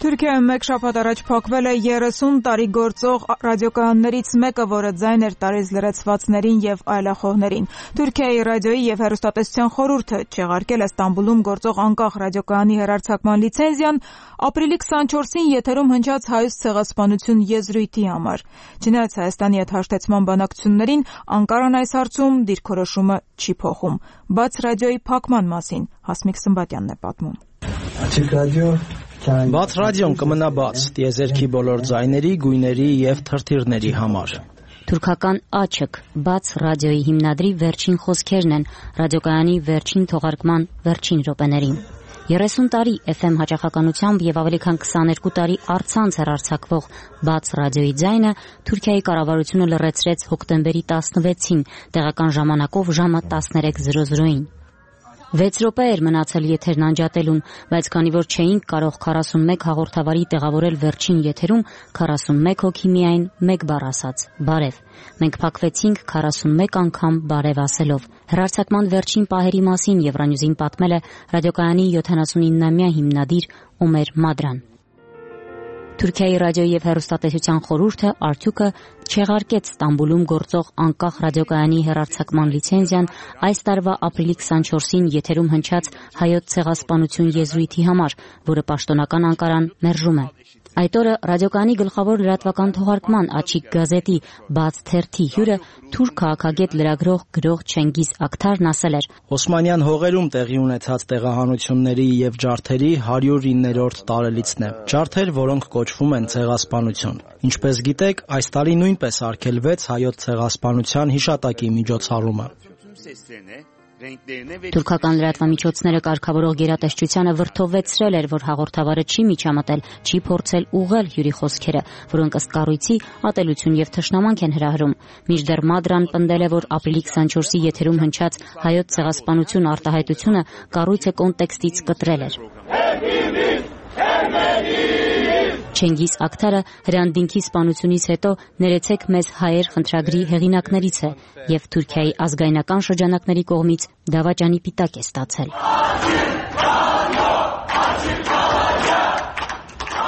Թուրքիայում մեկ շաբաթ առաջ փակվել է 30 տարի գործող ռադիոկայաններից մեկը, որը ձայն էր տալիս լրացվածներին եւ այլախոհներին։ Թուրքիայի ռադիոյի եւ հեռուստատեսության խորհուրդը չեղարկել է Ստամբուլում գործող անկախ ռադիոկայանի հեռարձակման լիցենզիան ապրիլի 24-ին եթերում հնչած հայոց ցեղասպանություն եզրույթի համար։ Չնայած Հայաստանի հետ հաշտեցման բանակցություններին, Անկարան այս հարցում դիրքորոշումը չի փոխում։ Բաց ռադիոյի փակման մասին Հասմիկ Սմբատյանն է պատմում։ Բաց ռադիոն կմնա բաց տիեզերքի բոլոր ձայների, գույների եւ թրթիռների համար։ Թուրքական աչք բաց ռադիոյի հիմնադրի վերջին խոսքերն են ռադիոկայանի վերջին թողարկման վերջին րոպեներին։ 30 տարի FM հաճախականությամբ եւ ավելի քան 22 տարի առցանց հեռարձակվող բաց ռադիոյի ձայնը Թուրքիայի կառավարությունը լրացրեց հոկտեմբերի 16-ին տեղական ժամանակով ժամը 13:00-ին։ 6 րոպե էր մնացել եթերն անջատելուն, բայց քանի որ չէինք կարող 41 հաղորդավարի տեղավորել վերջին եթերում, 41 հոգի միայն մեկ բառ ասաց՝ բարև։ Մենք փակվեցինք 41 անգամ բարև ասելով։ Հեռարձակման վերջին պահերի մասին Եվրանյուզին պատմել է ռադիոկայանի 79-ամյա հիմնադիր Օմեր Մադրան։ Թուրքիայի ռադիոյի եւ հեռուստատեսության խորհուրդը արդյունքը չեղարկեց Ստամբուլում գործող անկախ ռադիոկայանի հեռարձակման լիցենզիան այս տարվա ապրիլի 24-ին եթերում հնչած հայոց ցեղասպանություն եզրույթի համար, որը պաշտոնական Անկարան մերժում է։ Այդ օրը ռադիոկայանի գլխավոր լրատվական թողարկման Աչիկ գազետի բաց թերթի հյուրը թուրք քաղաքագետ լրագրող գրող Չենգիզ Ակթարն ասել էր. Օսմանյան հողերում տեղի ունեցած տեղահանությունների եւ ջարդերի 109-րդ տարելիցն է։ Ջարդեր, որոնք կոչվում են ցեղասպանություն։ Ինչպես գիտեք, այս տարի նույնպես արգելվեց հայոց ցեղասպանության հիշատակի միջոցառումը։ Թուրքական լրատվամիջոցները կարգավորող գերատեսչությանը վրդովվեցրել էր, որ հաղորդավարը չի միջամտել, չի փորձել ուղղել հյուրի խոսքերը, որոնք ըստ կառույցի ատելություն եւ թշնամանք են հրահրում։ Մինչդեռ Մադրան պնդել է, որ ապրիլի 24-ի եթերում հնչած հայոց ցեղասպանություն արտահայտությունը կառույցը կոնտեքստից կտրել էր։ Չենգիզ Ակթարը հրանդինքի սպանությունից հետո «Ներեցեք մեզ հայեր» խնդրագրի հեղինակներից է եւ Թուրքիայի ազգայնական շրջանակների կողմից դավաճանի պիտակ է ստացել։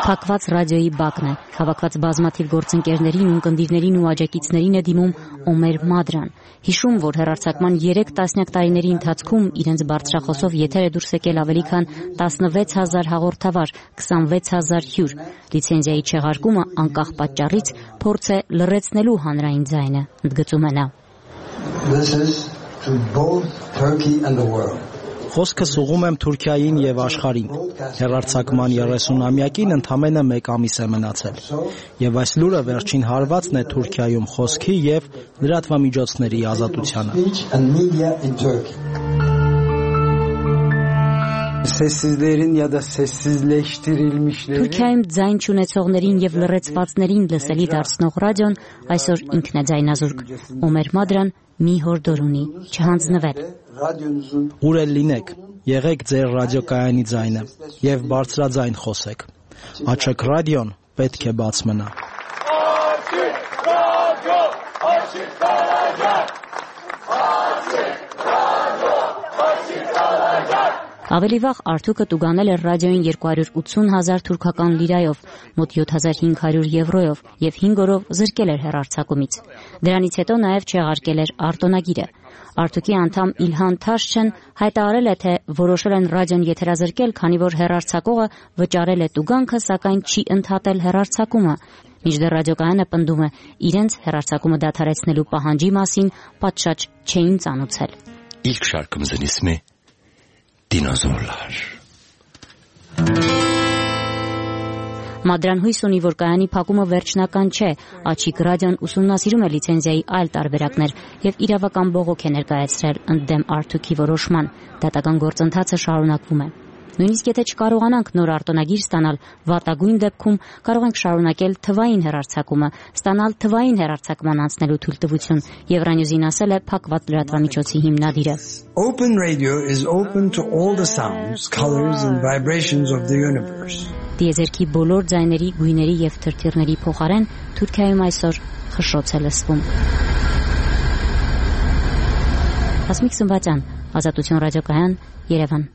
Փակված ռադիոյի բակն է, հավաքված բազմաթիվ գործընկերներին ու ընկերներին ու աջակիցներին է դիմում Օմեր Մադրան։ Հիշում, որ հեռարձակման 3 տասնյակ տարիների ընթացքում իրենց բարձրախոսով եթեր է դուրս եկել ավելի քան 16000 հաղորդավար, 26000 հյուր։ Լիցենզիայի չեղարկումը անկախ պատճառից փորձ է լռեցնելու հանրային ձայնը, ընդգծում է նա։ This is to both Turkey and the world. Խոսքս ուղղում եմ Թուրքիային եւ աշխարհին։ Հեռարձակման 30-ամյակին ընդամենը 1 ամիս է մնացել։ Եվ այս լուրը վերջին հարվածն է Թուրքիայում խոսքի եւ լրատվամիջոցների ազատությանը։ Sessizlerin ya da sessizleştirilmişlerin Թուրքիայում ձայն չունեցողներին եւ լռեցվածներին լսելի դարձնող ռադիոն այսօր ինքն է ձայնազուրկ։ Օմեր Մադրան մի հորդոր ունի՝ չհանձնվել։ Ուր էլ լինեք, եղեք ձեր ռադիոկայանի ձայնը եւ բարձրաձայն խոսեք։ Աչք ռադիոն պետք է բաց մնա։ Ավելի վաղ Արթուկը տուգանել էր ռադիոյին 280,000 թուրքական լիրայով, մոտ 7500 եվրոյով եւ 5 օրով զրկել էր հեռարձակումից։ Դրանից հետո նաեւ չեղարկել էր արտոնագիրը։ Արթուկի անդամ Իլհան Թաշչեն հայտարարել է, թե որոշել են ռադիոն եթերազրկել, քանի որ հեռարձակողը վճարել է տուգանքը, սակայն չի ընդհատել հեռարձակումը։ Մինչդեռ ռադիոկայանը պնդում է, իրենց հեռարձակումը դադարեցնելու պահանջի մասին պատշաճ չէին ծանուցել։ İlk şarkımızın ismi Dinozorlar. Մադրան հույս ունի, որ կայանի փակումը վերջնական չէ, Աչիկ ռադիոն ուսումնասիրում է լիցենզիայի այլ տարբերակներ եւ իրավական բողոք է ներկայացրել ընդդեմ Արթուկի որոշման։ Դատական գործընթացը շարունակվում է։ Նույնիսկ եթե չկարողանանք նոր արտոնագիր ստանալ, վատագույն դեպքում կարող ենք շարունակել թվային հեռարձակումը, ստանալ թվային հեռարձակման անցնելու թույլտվություն, Եվրանյուզին ասել է փակված լրատվամիջոցի հիմնադիրը։ Open radio is open to all the sounds, colors and vibrations of the universe. Տիեզերքի բոլոր ձայների, գույների եւ թրթիռների փոխարեն Թուրքիայում այսօր խշշոց է լսվում։ Հասմիկ Սմբատյան, Ազատություն ռադիոկայան, Երևան։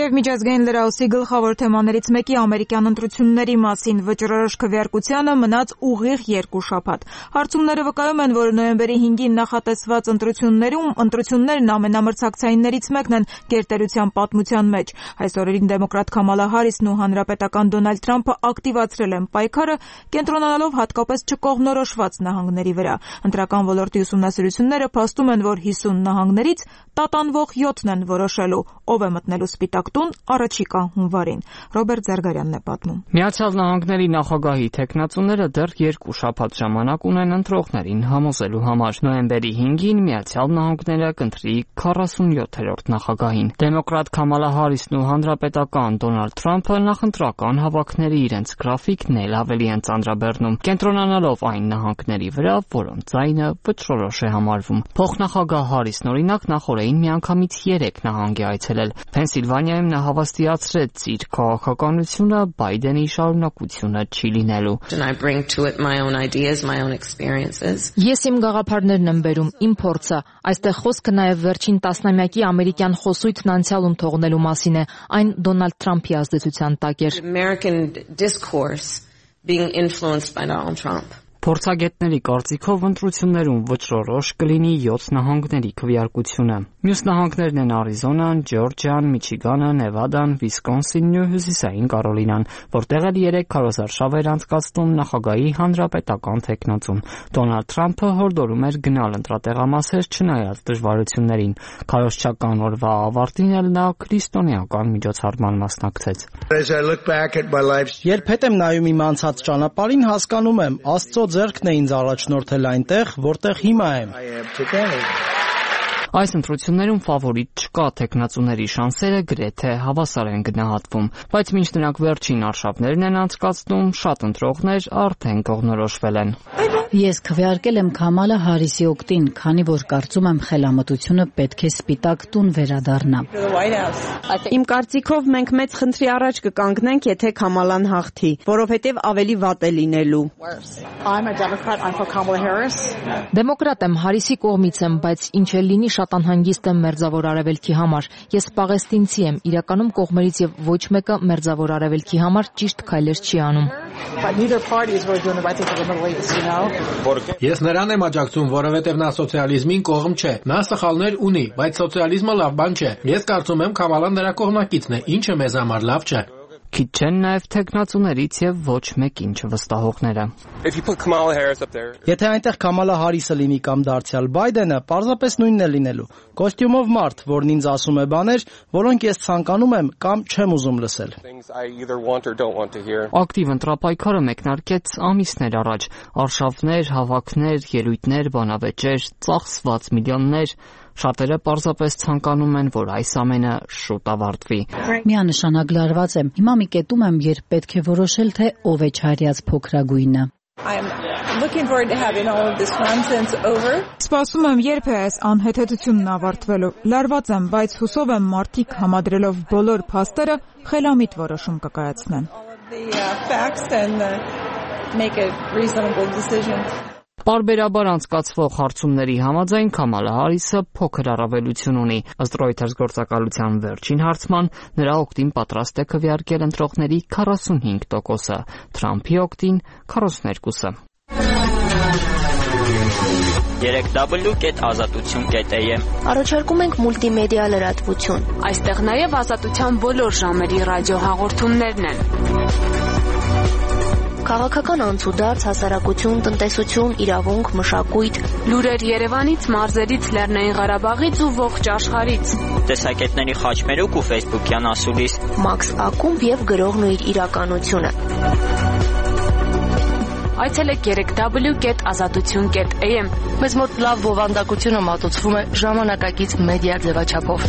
Եվ միջազգային լրահոսի գլխավոր թեմաներից մեկի ամերիկյան ընտրությունների մասին վճռորոշ քվեարկությանը մնաց ուղիղ 2 շաբաթ։ Հարցումները վկայում են, որ նոյեմբերի 5-ին նախատեսված ընտրություններն ամենամրցակցայիններից մեկն են գերտերության պատմության մեջ։ Այս օրերին դեմոկրատ Քամալա Հարիսն ու հանրապետական Դոնալդ Թրամփը ակտիվացրել են պայքարը, կենտրոնանալով հատկապես չկողմնորոշված նահանգների վրա։ Ընտրական ոլորտի ուսումնասիրությունները փաստում են, որ 50 նահանգներից տատանվող 7-ն են որոշելու, ով է մտնելու Սպիտակ տուն առաջիկա հունվարին։ Ռոբերտ Զարգարյանն է պատմում։ Միացյալ Նահանգների նախագահի թեկնածուները դեռ 2 շաբաթ ժամանակ ունեն ընտրողներին համոզելու համար։ Նոյեմբերի 5-ին Միացյալ Նահանգները կընտրի 47-րդ նախագահին։ Դեմոկրատ Քամալա Հարիսն ու հանրապետական Դոնալդ Թրամփը նախընտրական հավաքների իրենց գրաֆիկն էլ ավելի են ծանրաբեռնում, կենտրոնանալով այն նահանգների վրա, որոնց ձայնը վճռորոշ է համարվում։ Փոխնախագահ Հարիսն օրինակ նախորդին միանգամից 3 նահանգ է այցելել։ Փենսիլվանիայում նա հավաստիացրեց իր քաղաքականությունը Բայդենի շարունակությունը չի լինելու։ Ես իմ գաղափարներն եմ բերում, իմ փորձը։ Այստեղ խոսքը նաև վերջին տասնամյակի ամերիկյան խոսույթն անցյալում թողնելու մասին է, այն Դոնալդ Թրամփի ազդեցության տակ էր։ Փորձագետների կարծիքով ընտրություններում վճռորոշ կլինի 7 նահանգների քվեարկությունը։ Մյուս նահանգներն են Արիզոնան, Ջորջիան, Միչիգանը, Նևադան, Վիսկոնսինն ու Հյուսիսային Կարոլինան, որտեղ էլ 3 քարոզարշավ էր անցկացնում նախագահի հանրապետական թեկնածուն։ Դոնալդ Թրամփը հորդորում էր գնալ ընտրատեղամասեր չնայած դժվարություններին։ Քարոզչական օրվա ավարտին էլ նա քրիստոնեական միջոցառման մասնակցեց։ Երբ հետ եմ նայում իմ անցած ճանապարհին, հասկանում եմ, Աստծո ձեռքն է ինձ առաջնորդել այնտեղ, որտեղ հիմա եմ։ Այս ընտրություններում ֆավորիտ չկա, թեկնածուների շանսերը գրեթե հավասար են գնահատվում, բայց մինչ նրանք վերջին արշավներն են անցկացնում, շատ ընտրողներ արդեն կողմնորոշվել են։ Ես քվեարկել եմ Քամալա Հարիսի օգտին, քանի որ կարծում եմ խելամտությունը պետք է Սպիտակ տուն վերադառնա։ Իմ կարծիքով մենք մեծ խնդրի առաջ կկանգնենք, եթե Քամալան հաղթի, որովհետև ավելի վատ է լինելու։ Դեմոկրատ եմ, Հարիսի կողմից եմ, բայց ինչ էլ լինի, շատ անհանգիստ եմ Մերձավոր Արևելքի համար։ Ես պաղեստինցի եմ, իրականում կողմերից եւ ոչ մեկը Մերձավոր Արևելքի համար ճիշտ քայլեր չի անում։ Ես նրան եմ աջակցում, որովհետև նա սոցիալիզմին կողմ չէ։ Նա սխալներ ունի, բայց սոցիալիզմը լավ բան չէ։ Ես կարծում եմ Քամալան նրա կողմնակիցն է, ինչը մեզ համար լավ չէ։ Քիչ չեն նաև թեկնածուներից եւ ոչ մեկին չվստահողները։ Եթե այնտեղ Քամալա Հարիսը լինի կամ դարձյալ Բայդենը, պարզապես նույնն է լինելու։ Կոստյումով մարդ, որն ինձ ասում է բաներ, որոնք ես ցանկանում եմ կամ չեմ ուզում լսել։ Ակտիվ ընտրապայքարը մեկնարկեց ամիսներ առաջ։ Արշավներ, հավաքներ, ելույթներ, բանավեճեր, ծախսված միլիոններ։ Շատերը պարզապես ցանկանում են, որ այս ամենը շուտ ավարտվի։ Միանշանակ լարված եմ։ Հիմա մի կետում եմ, երբ պետք է որոշել, թե ով է չարյաց փոքրագույնը։ Սպասում եմ, երբ է այս անհեթեթությունն ավարտվելու։ Լարված եմ, բայց հուսով եմ մարդիկ համադրելով բոլոր փաստերը խելամիտ որոշում կկայացնեն։ Պարբերաբար անցկացվող հարցումների համաձայն Քամալա Հարիսը փոքր առավելություն ունի։ Ըստ Reuters գործակալության վերջին հարցման նրա օգտին պատրաստ է քվեարկել ընտրողների 45%-ը, Թրամփի օգտին 42%-ը։ 3w.azatutun.am Առաջարկում ենք մուլտիմեդիա լրատվություն։ Այստեղ նաև ազատության բոլոր ժամերի ռադիոհաղորդումներն են։ Քաղաքական անցուդարձ, հասարակություն, տնտեսություն, իրավունք, մշակույթ, լուրեր Երևանից, մարզերից, Լեռնային Ղարաբաղից ու ողջ աշխարհից։ Տեսակետների խաչմերուկ ու Facebook-յան ասուլիս, Max Ակումբ եւ գրողն ու իր իրականությունը։ Այցելեք 3w.azatutun.am Մեզ մոտ լավ բովանդակությունը մատուցվում է ժամանակակից մեդիա ձևաչափով։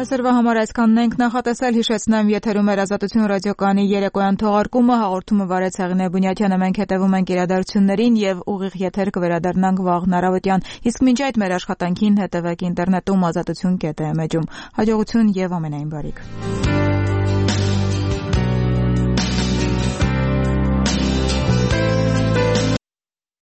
Այսօրվա համար այսքանն ենք նախատեսել, հիշեցնեմ, եթերում էր Ազատություն ռադիոկայանի երեկոյան թողարկումը, հաղորդումը վարեց Հեղինե Բունյաթյանը, մենք հետևում ենք իրադարձություններին եւ ուղիղ եթեր կվերադառնանք վաղ առավոտյան, իսկ մինչ այդ մեր աշխատանքին հետևեք ինտերնետում azatutun.am-ում, հաջողություն եւ ամենայն բարիք։